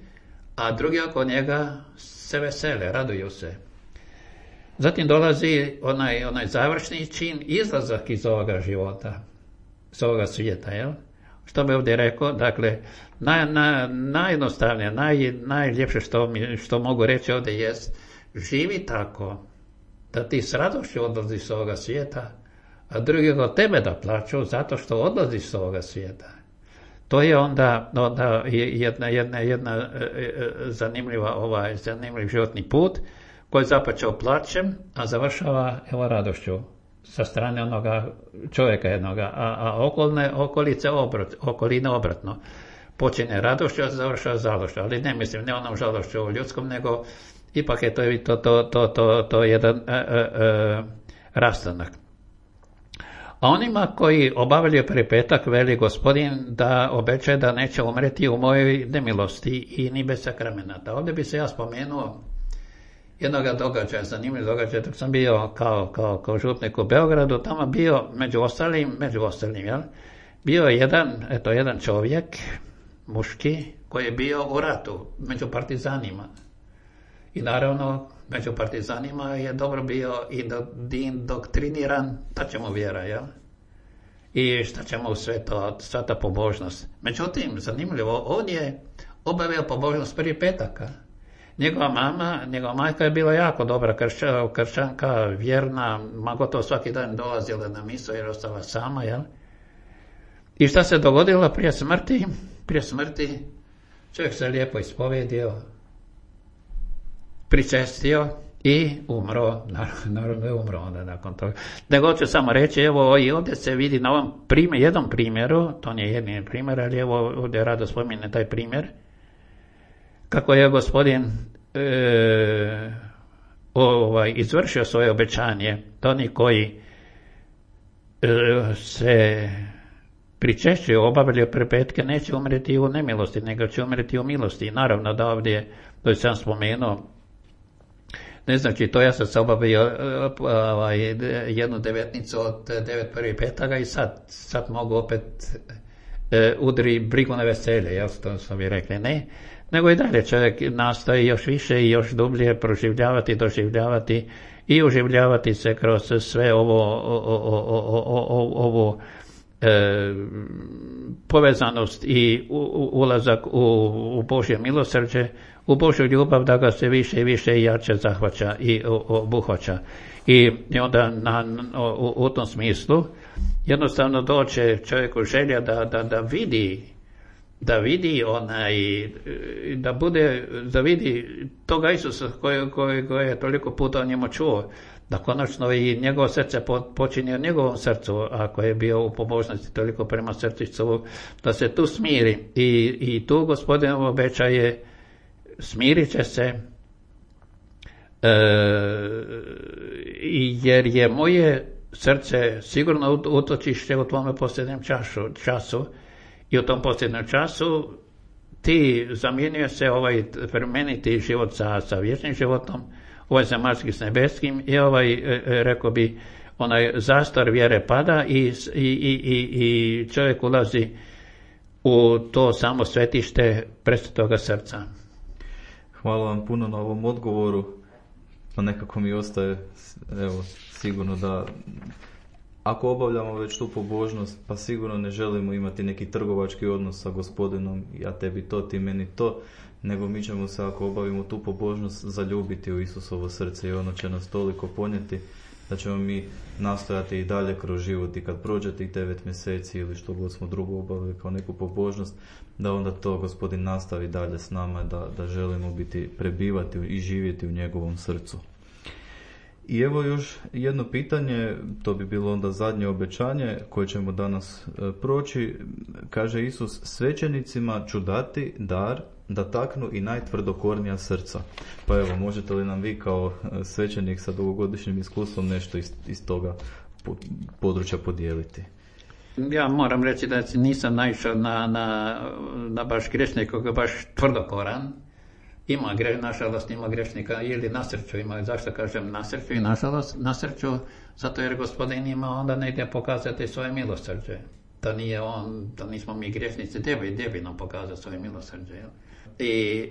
a drugi oko njega se vesele, raduju se. Zatim dolazi onaj završni čin, izlazak iz ovoga života, iz ovoga svijeta, jel? Što bi ovdje rekao? Dakle, najjednostavnije, najljepše što mogu reći ovdje jest, živi tako da ti s radošću odlaziš s ovoga svijeta, a drugi od tebe da plaću zato što odlaziš s ovoga svijeta. To je onda jedna zanimljiv životni put koji je započeo plaćem, a završava radošću sa strane onoga čovjeka jednoga, a okoline obratno. Počinje radošću, a završava žalošću, ali ne mislim, ne onom žalošću u ljudskom, nego ipak je to jedan rastanak. A onima koji obavljaju prvi petak, veli Gospodin da obećaje da neće umreti u mojoj nemilosti i ni bez sakramenata. Ovdje bi se ja spomenuo jednog događaja, zanimljiv događaj, dok sam bio kao župnik u Beogradu, tamo bio među ostalim, jel? Bio je jedan čovjek, muški, koji je bio u ratu, među partizanima. I naravno, među partizanima je dobro bio indoktriniran, šta će mu vjera, jel? I šta će mu sva ta pobožnost. Međutim, zanimljivo, on je obavio pobožnost prvi petaka. Njegova majka je bila jako dobra kršćanka, vjerna, gotovo svaki dan dolazila na misu jer ostala sama, jel? I šta se dogodilo prije smrti? Prije smrti čovjek se lijepo ispovedio, pričestio i umro. Naravno je umro onda nakon toga. Nego ću samo reći, evo i ovdje se vidi na ovom jednom primjeru, to nije jedini primjer, ali evo ovdje rado spominje taj primjer, kako je Gospodin izvršio svoje obećanje da oni koji se pričešćuju, obavljaju prve petke, neće umreti u nemilosti, nego će umreti u milosti. I naravno da ovdje, to sam spomenuo, ne znači to, ja sam se obavio jednu devetnicu od 9 prvih petaka i sad mogu opet udri brigu na veselje, jel, to smo bi rekli, ne, nego i dalje čovjek nastoji još više i još dublje proživljavati, doživljavati i uživljavati se kroz sve ovo povezanost i ulazak u Božje milosrđe, u Božju ljubav, da ga se više i više i jače zahvaća i obuhvaća. I onda u tom smislu jednostavno doće čovjeku želja da vidi toga Isusa koji je toliko puta o njemu čuo, da konačno i njegovo srce počinje u njegovom srcu, ako je bio u pobožnosti toliko prema srcu Isusovu, da se tu smiri. I tu Gospodin obećaje, smirit će se, jer je moje srce sigurno utočište u tvome posljednjem času. I u tom posljednjem času ti zamjenjuje se ovaj plemeniti život sa vječnim životom, ovaj zemaljski s nebeskim, i rekao bi, onaj zastor vjere pada i čovjek ulazi u to samo svetište presvetoga srca. Hvala vam puno na ovom odgovoru. Pa nekako mi ostaje, evo, sigurno da ako obavljamo već tu pobožnost, pa sigurno ne želimo imati neki trgovački odnos sa Gospodinom, ja tebi to, ti meni to, nego mi ćemo se, ako obavimo tu pobožnost, zaljubiti u Isusovo srce i ono će nas toliko ponijeti da ćemo mi nastojati i dalje kroz život, i kad prođe tih 9 mjeseci ili što god smo drugo obavili kao neku pobožnost, da onda to Gospodin nastavi dalje s nama, da želimo prebivati i živjeti u njegovom srcu. I evo još jedno pitanje, to bi bilo onda zadnje obećanje koje ćemo danas proći. Kaže Isus, svećenicima ću dati dar da taknu i najtvrdokornija srca. Pa evo, možete li nam vi kao svećenik sa dugogodišnjim iskustvom nešto iz toga područja podijeliti? Ja moram reći da nisam naišao na baš grešnika koji je baš tvrdokoran, nažalost ima grešnika ili nasrću ima. Zašto kažem nasrću i nažalost? Nasrću zato jer Gospodin ima onda negdje pokazati svoje milosrđe. Da nije on, da nismo mi grešnici, gdje bi nam pokazao svoje milosrđe. I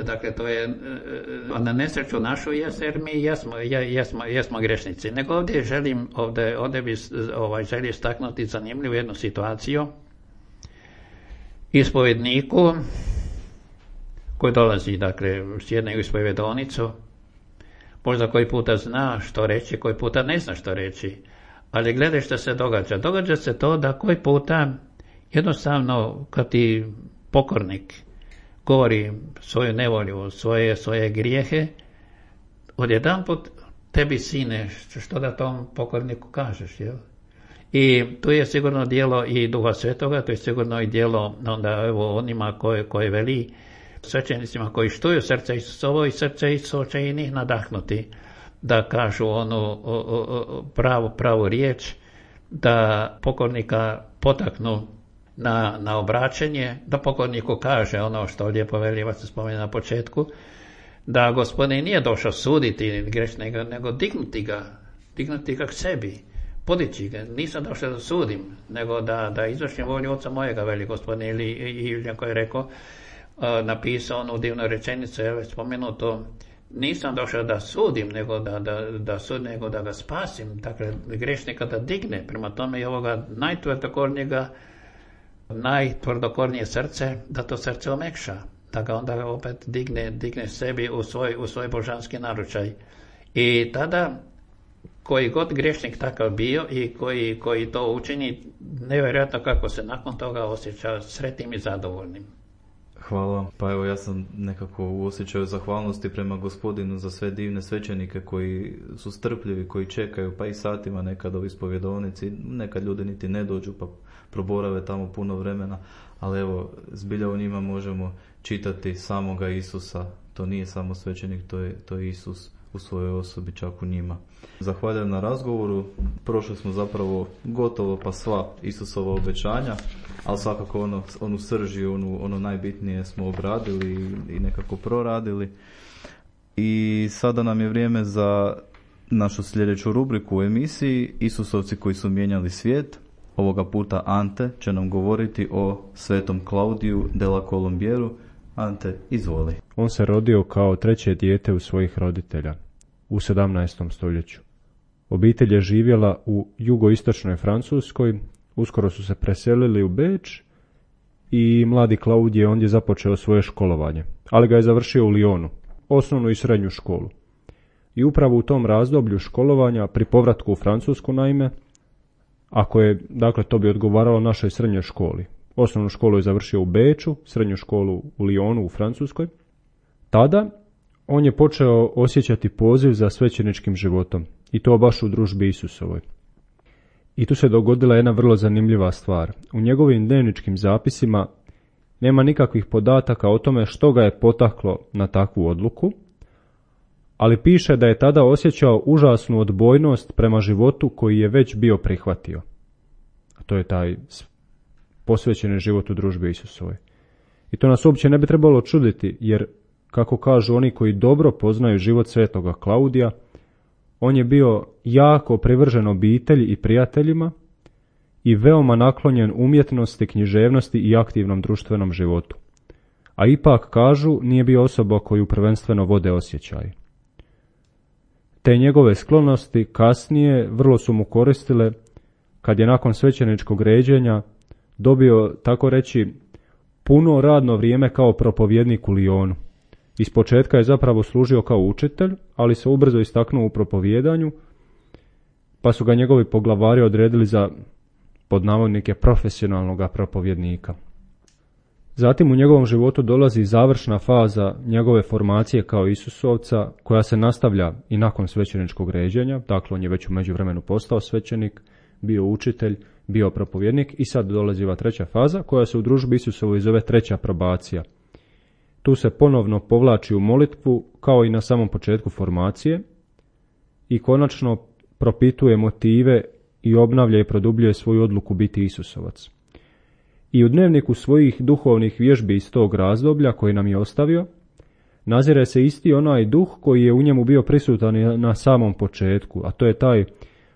dakle to je na nesreću našu jer mi jesmo grešnici. Nego ovdje bi želio istaknuti zanimljivu jednu situaciju. Ispovjedniku koji dolazi, dakle, sjedne u ispovjedonicu, možda koji puta zna što reći, koji puta ne zna što reći, ali gledaj što se događa. Događa se to da koji puta jednostavno kad ti pokornik govori svoju nevolju, svoje grijehe, odjedanput tebi sine što da tom pokorniku kažeš, jel? I tu je sigurno djelo i Duha Svetoga, to je sigurno i djelo onda evo onima koje veli svećenicima koji štuju srce Isusovo i srce Isusovo će i njih nadahnuti da kažu onu pravu riječ, da pokornika potaknu na obraćanje, da pokorniku kaže ono što lijepo veli, se spomene na početku, da Gospodin nije došao suditi grešnika, nego dignuti ga k sebi, podići ga. Nisam došao da sudim, nego da izvršim volju Oca mojega, veli Gospodin, ili koji je rekao, napisao onu divnu rečenicu, je već spomenuto, nisam došao da sudim, nego nego da ga spasim, dakle grešnika da digne. Prema tome i ovoga najtvrdokornije srce, da to srce omekša, da ga onda opet digne sebi u svoj božanski naručaj. I tada koji god grešnik takav bio i koji to učini, nevjerojatno kako se nakon toga osjeća sretnim i zadovoljnim. Hvala. Pa evo ja sam nekako u osjećaju zahvalnosti prema Gospodinu za sve divne svećenike koji su strpljivi, koji čekaju pa i satima nekad u ispovjedovnici, nekad ljudi niti ne dođu pa proborave tamo puno vremena, ali evo zbilja u njima možemo čitati samoga Isusa. To nije samo svećenik, to je Isus u svojoj osobi, čak u njima. Zahvaljujem na razgovoru. Prošli smo zapravo gotovo pa sva Isusova obećanja, ali svakako onu srži, ono najbitnije smo obradili i nekako proradili. I sada nam je vrijeme za našu sljedeću rubriku u emisiji Isusovci koji su mijenjali svijet. Ovoga puta Ante će nam govoriti o svetom Klaudiju della Colombieru. Ante, izvoli. On se rodio kao treće dijete u svojih roditelja u 17. stoljeću. Obitelj je živjela u jugoistočnoj Francuskoj, uskoro su se preselili u Beč i mladi Klaudij je ondje započeo svoje školovanje, ali ga je završio u Lyonu, osnovnu i srednju školu. I upravo u tom razdoblju školovanja, pri povratku u Francusku naime, ako je, dakle, to bi odgovaralo našoj srednjoj školi. Osnovnu školu je završio u Beču, srednju školu u Lyonu u Francuskoj. Tada on je počeo osjećati poziv za svećeničkim životom, i to baš u družbi Isusovoj. I tu se dogodila jedna vrlo zanimljiva stvar. U njegovim dnevničkim zapisima nema nikakvih podataka o tome što ga je potaklo na takvu odluku, ali piše da je tada osjećao užasnu odbojnost prema životu koji je već bio prihvatio. A to je taj posvećeni život u družbi Isusovoj. I to nas uopće ne bi trebalo čuditi, jer, kako kažu oni koji dobro poznaju život svetoga Klaudija, on je bio jako privržen obitelji i prijateljima i veoma naklonjen umjetnosti, književnosti i aktivnom društvenom životu. A ipak, kažu, nije bio osoba koju prvenstveno vode osjećaj. Te njegove sklonosti kasnije vrlo su mu koristile kad je nakon svećeničkog ređenja dobio, tako reći, puno radno vrijeme kao propovjednik u Lyonu. Ispočetka je zapravo služio kao učitelj, ali se ubrzo istaknuo u propovijedanju, pa su ga njegovi poglavari odredili za, pod navodnike, profesionalnog propovjednika. Zatim u njegovom životu dolazi završna faza njegove formacije kao Isusovca, koja se nastavlja i nakon svećeničkog ređenja. Dakle, on je već u međuvremenu postao svećenik, bio učitelj, bio propovjednik i sad dolazi ova treća faza koja se u družbi Isusovoj zove treća probacija. Tu se ponovno povlači u molitvu kao i na samom početku formacije i konačno propituje motive i obnavlja i produbljuje svoju odluku biti Isusovac. I u dnevniku svojih duhovnih vježbi iz tog razdoblja koji nam je ostavio, nazire se isti onaj duh koji je u njemu bio prisutan na samom početku, a to je taj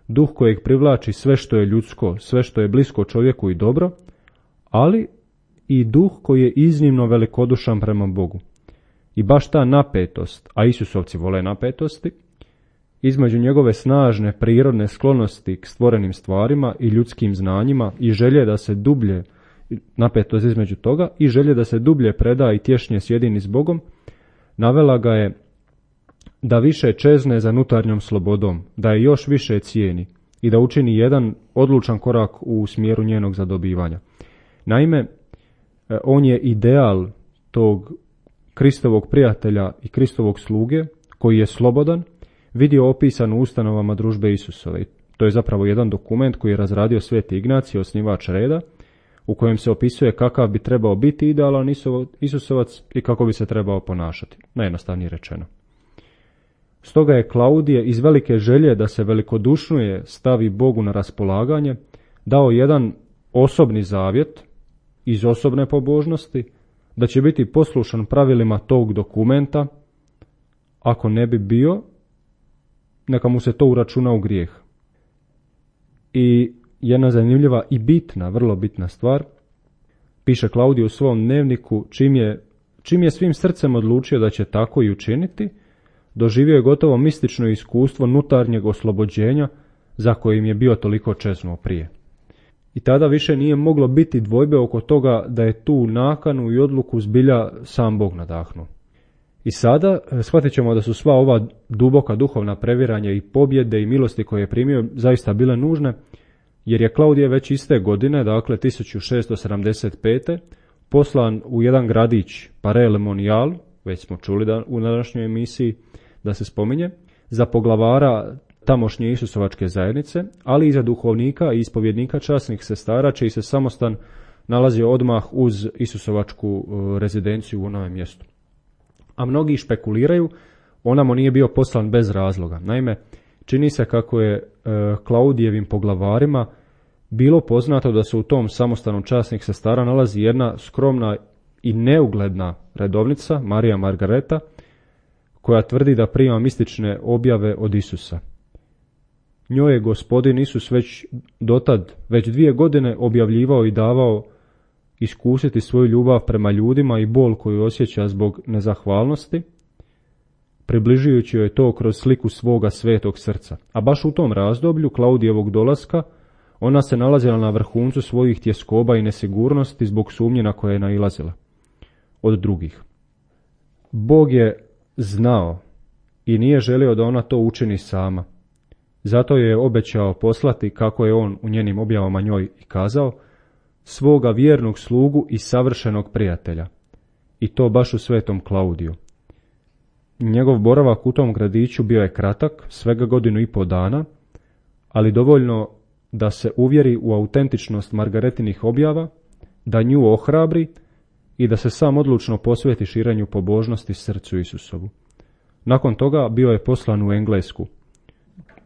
duh kojeg privlači sve što je ljudsko, sve što je blisko čovjeku i dobro, ali i duh koji je iznimno velikodušan prema Bogu. I baš ta napetost, a Isusovci vole napetosti, između njegove snažne prirodne sklonosti k stvorenim stvarima i ljudskim znanjima i želje da se dublje, napetost između toga, i želje da se dublje preda i tješnje sjedini s Bogom, navela ga je da više čezne za unutarnjom slobodom, da je još više cijeni i da učini jedan odlučan korak u smjeru njenog zadobivanja. Naime, on je ideal tog Kristovog prijatelja i Kristovog sluge, koji je slobodan, vidio opisan u ustanovama družbe Isusove. To je zapravo jedan dokument koji je razradio Sveti Ignacij, osnivač reda, u kojem se opisuje kakav bi trebao biti idealan Isusovac i kako bi se trebao ponašati, najjednostavnije rečeno. Stoga je Klaudije iz velike želje da se velikodušnije stavi Bogu na raspolaganje dao jedan osobni zavjet iz osobne pobožnosti, da će biti poslušan pravilima tog dokumenta, ako ne bi bio, neka mu se to uračuna u grijeh. I jedna zanimljiva i bitna, vrlo bitna stvar, piše Klaudije u svom dnevniku, čim je svim srcem odlučio da će tako i učiniti, doživio je gotovo mistično iskustvo unutarnjeg oslobođenja za kojim je bio toliko čeznuo prije. I tada više nije moglo biti dvojbe oko toga da je tu nakanu i odluku zbilja sam Bog nadahnuo. I sada shvatit ćemo da su sva ova duboka duhovna previranja i pobjede i milosti koje je primio zaista bile nužne, jer je Klaudije već iste godine, dakle 1675. poslan u jedan gradić Paray-le-Monial, već smo čuli u današnjoj emisiji da se spominje, za poglavara tamošnje Isusovačke zajednice, ali i za duhovnika i ispovjednika časnih sestara, čiji se samostan nalazio odmah uz Isusovačku rezidenciju u onome mjestu. A mnogi špekuliraju, onamo nije bio poslan bez razloga. Naime, čini se kako je Klaudijevim poglavarima bilo poznato da se u tom samostanu časnih sestara nalazi jedna skromna i neugledna redovnica, Marija Margareta, koja tvrdi da prima mistične objave od Isusa. Njoj je Gospodin Isus već dotad, već 2 godine objavljivao i davao iskusiti svoju ljubav prema ljudima i bol koju osjeća zbog nezahvalnosti, približujući joj to kroz sliku svoga svetog srca. A baš u tom razdoblju Klaudijevog dolaska ona se nalazila na vrhuncu svojih tjeskoba i nesigurnosti zbog sumnje na koje je nailazila od drugih. Bog je znao i nije želio da ona to učini sama. Zato je obećao poslati, kako je on u njenim objavama njoj i kazao, svoga vjernog slugu i savršenog prijatelja. I to baš u svetom Klaudiju. Njegov boravak u tom gradiću bio je kratak, svega 1,5 dana, ali dovoljno da se uvjeri u autentičnost Margaretinih objava, da nju ohrabri i da se sam odlučno posveti širenju pobožnosti srcu Isusovu. Nakon toga bio je poslan u Englesku,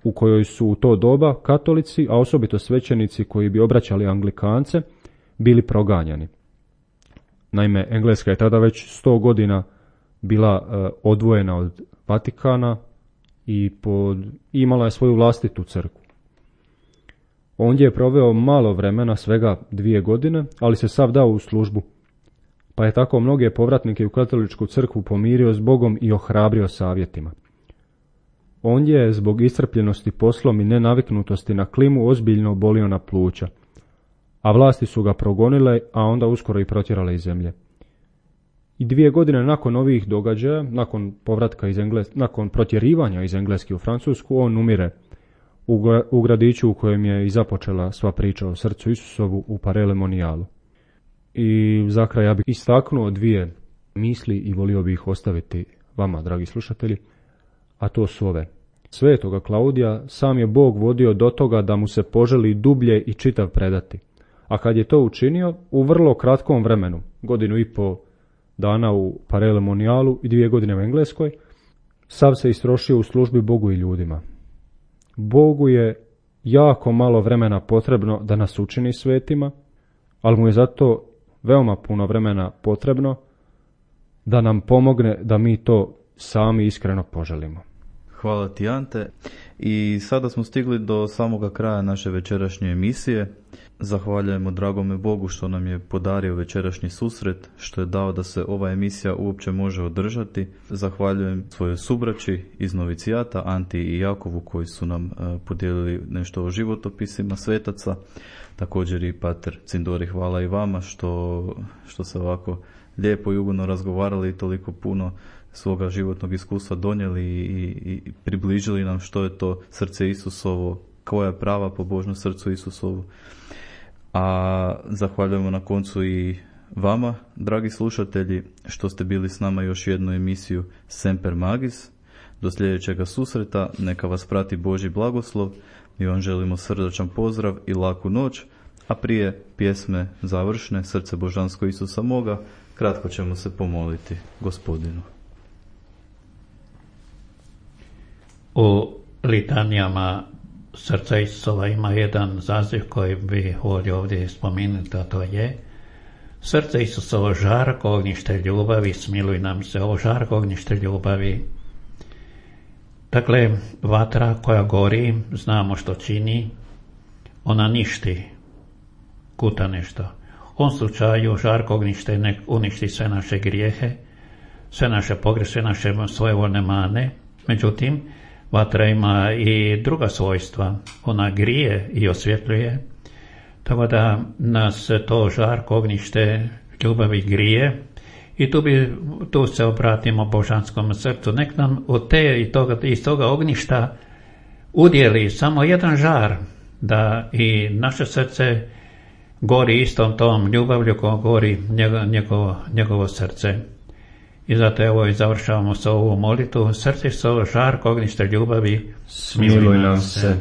u kojoj su u to doba katolici, a osobito svećenici koji bi obraćali Anglikance, bili proganjani. Naime, Engleska je tada već 100 godina bila odvojena od Vatikana i imala je svoju vlastitu crkvu. Ondje je proveo malo vremena, svega 2 godine, ali se sav dao u službu, pa je tako mnoge povratnike u katoličku crkvu pomirio s Bogom i ohrabrio savjetima. Ondje je zbog iscrpljenosti poslom i nenaviknutosti na klimu ozbiljno bolio na pluća, a vlasti su ga progonile, a onda uskoro i protjerale iz zemlje. I 2 godine nakon ovih događaja, nakon povratka nakon protjerivanja iz Engleske u Francusku, on umire u gradiću u kojem je i započela sva priča o srcu Isusovu u Paray-le-Monialu. I za kraj ja bih istaknuo 2 misli i volio bih ih ostaviti vama, dragi slušatelji, a to su ove. Svetoga Klaudija sam je Bog vodio do toga da mu se poželi dublje i čitav predati, a kad je to učinio, u vrlo kratkom vremenu, 1,5 dana u Paray-le-Monialu i 2 godine u Engleskoj, sav se istrošio u službi Bogu i ljudima. Bogu je jako malo vremena potrebno da nas učini svetima, ali mu je zato veoma puno vremena potrebno da nam pomogne da mi to sami iskreno poželimo. Hvala ti, Ante. I sada smo stigli do samoga kraja naše večerašnje emisije. Zahvaljujemo dragome Bogu što nam je podario večerašnji susret, što je dao da se ova emisija uopće može održati. Zahvaljujem svojoj subraći iz novicijata, Anti i Jakovu, koji su nam podijelili nešto o životopisima svetaca. Također i pater Cindori, hvala i vama što se ovako lijepo i ugodno razgovarali i toliko puno svoga životnog iskustva donijeli i približili nam što je to srce Isusovo, koja je prava pobožnost srcu Isusovu. A zahvaljujemo na koncu i vama, dragi slušatelji, što ste bili s nama još jednu emisiju Semper Magis. Do sljedećega susreta, neka vas prati Božji blagoslov. Mi vam želimo srdačan pozdrav i laku noć, a prije pjesme završne Srce božansko Isusa moga, kratko ćemo se pomoliti Gospodinu. U litanijama Srca Isusova ima jedan zaziv koji bi volio ovdje spomenuti, a to je: Srce Isusovo, žarko ognjište ljubavi, smiluj nam se. Ovo žarko ognjište ljubavi, dakle vatra koja gori, znamo što čini, ona ništi, kuta nešto. U ovom slučaju žarko ognjište nek uništi sve naše grijehe, sve naše pogreške, sve naše svojevoljne mane. Međutim, vatra ima i druga svojstva. Ona grije i osvjetljuje, tako da nas to žarko ognjište ljubavi grije. I tu se obratimo božanskom srcu. Nek nam iz toga ognjišta udjeli samo jedan žar, da i naše srce gori istom tom ljubavlju koja gori njegovo srce. I zato evo i završavamo s ovu molitvu. Srce Isusovo, žarko ognjište ljubavi, smiluj nam se.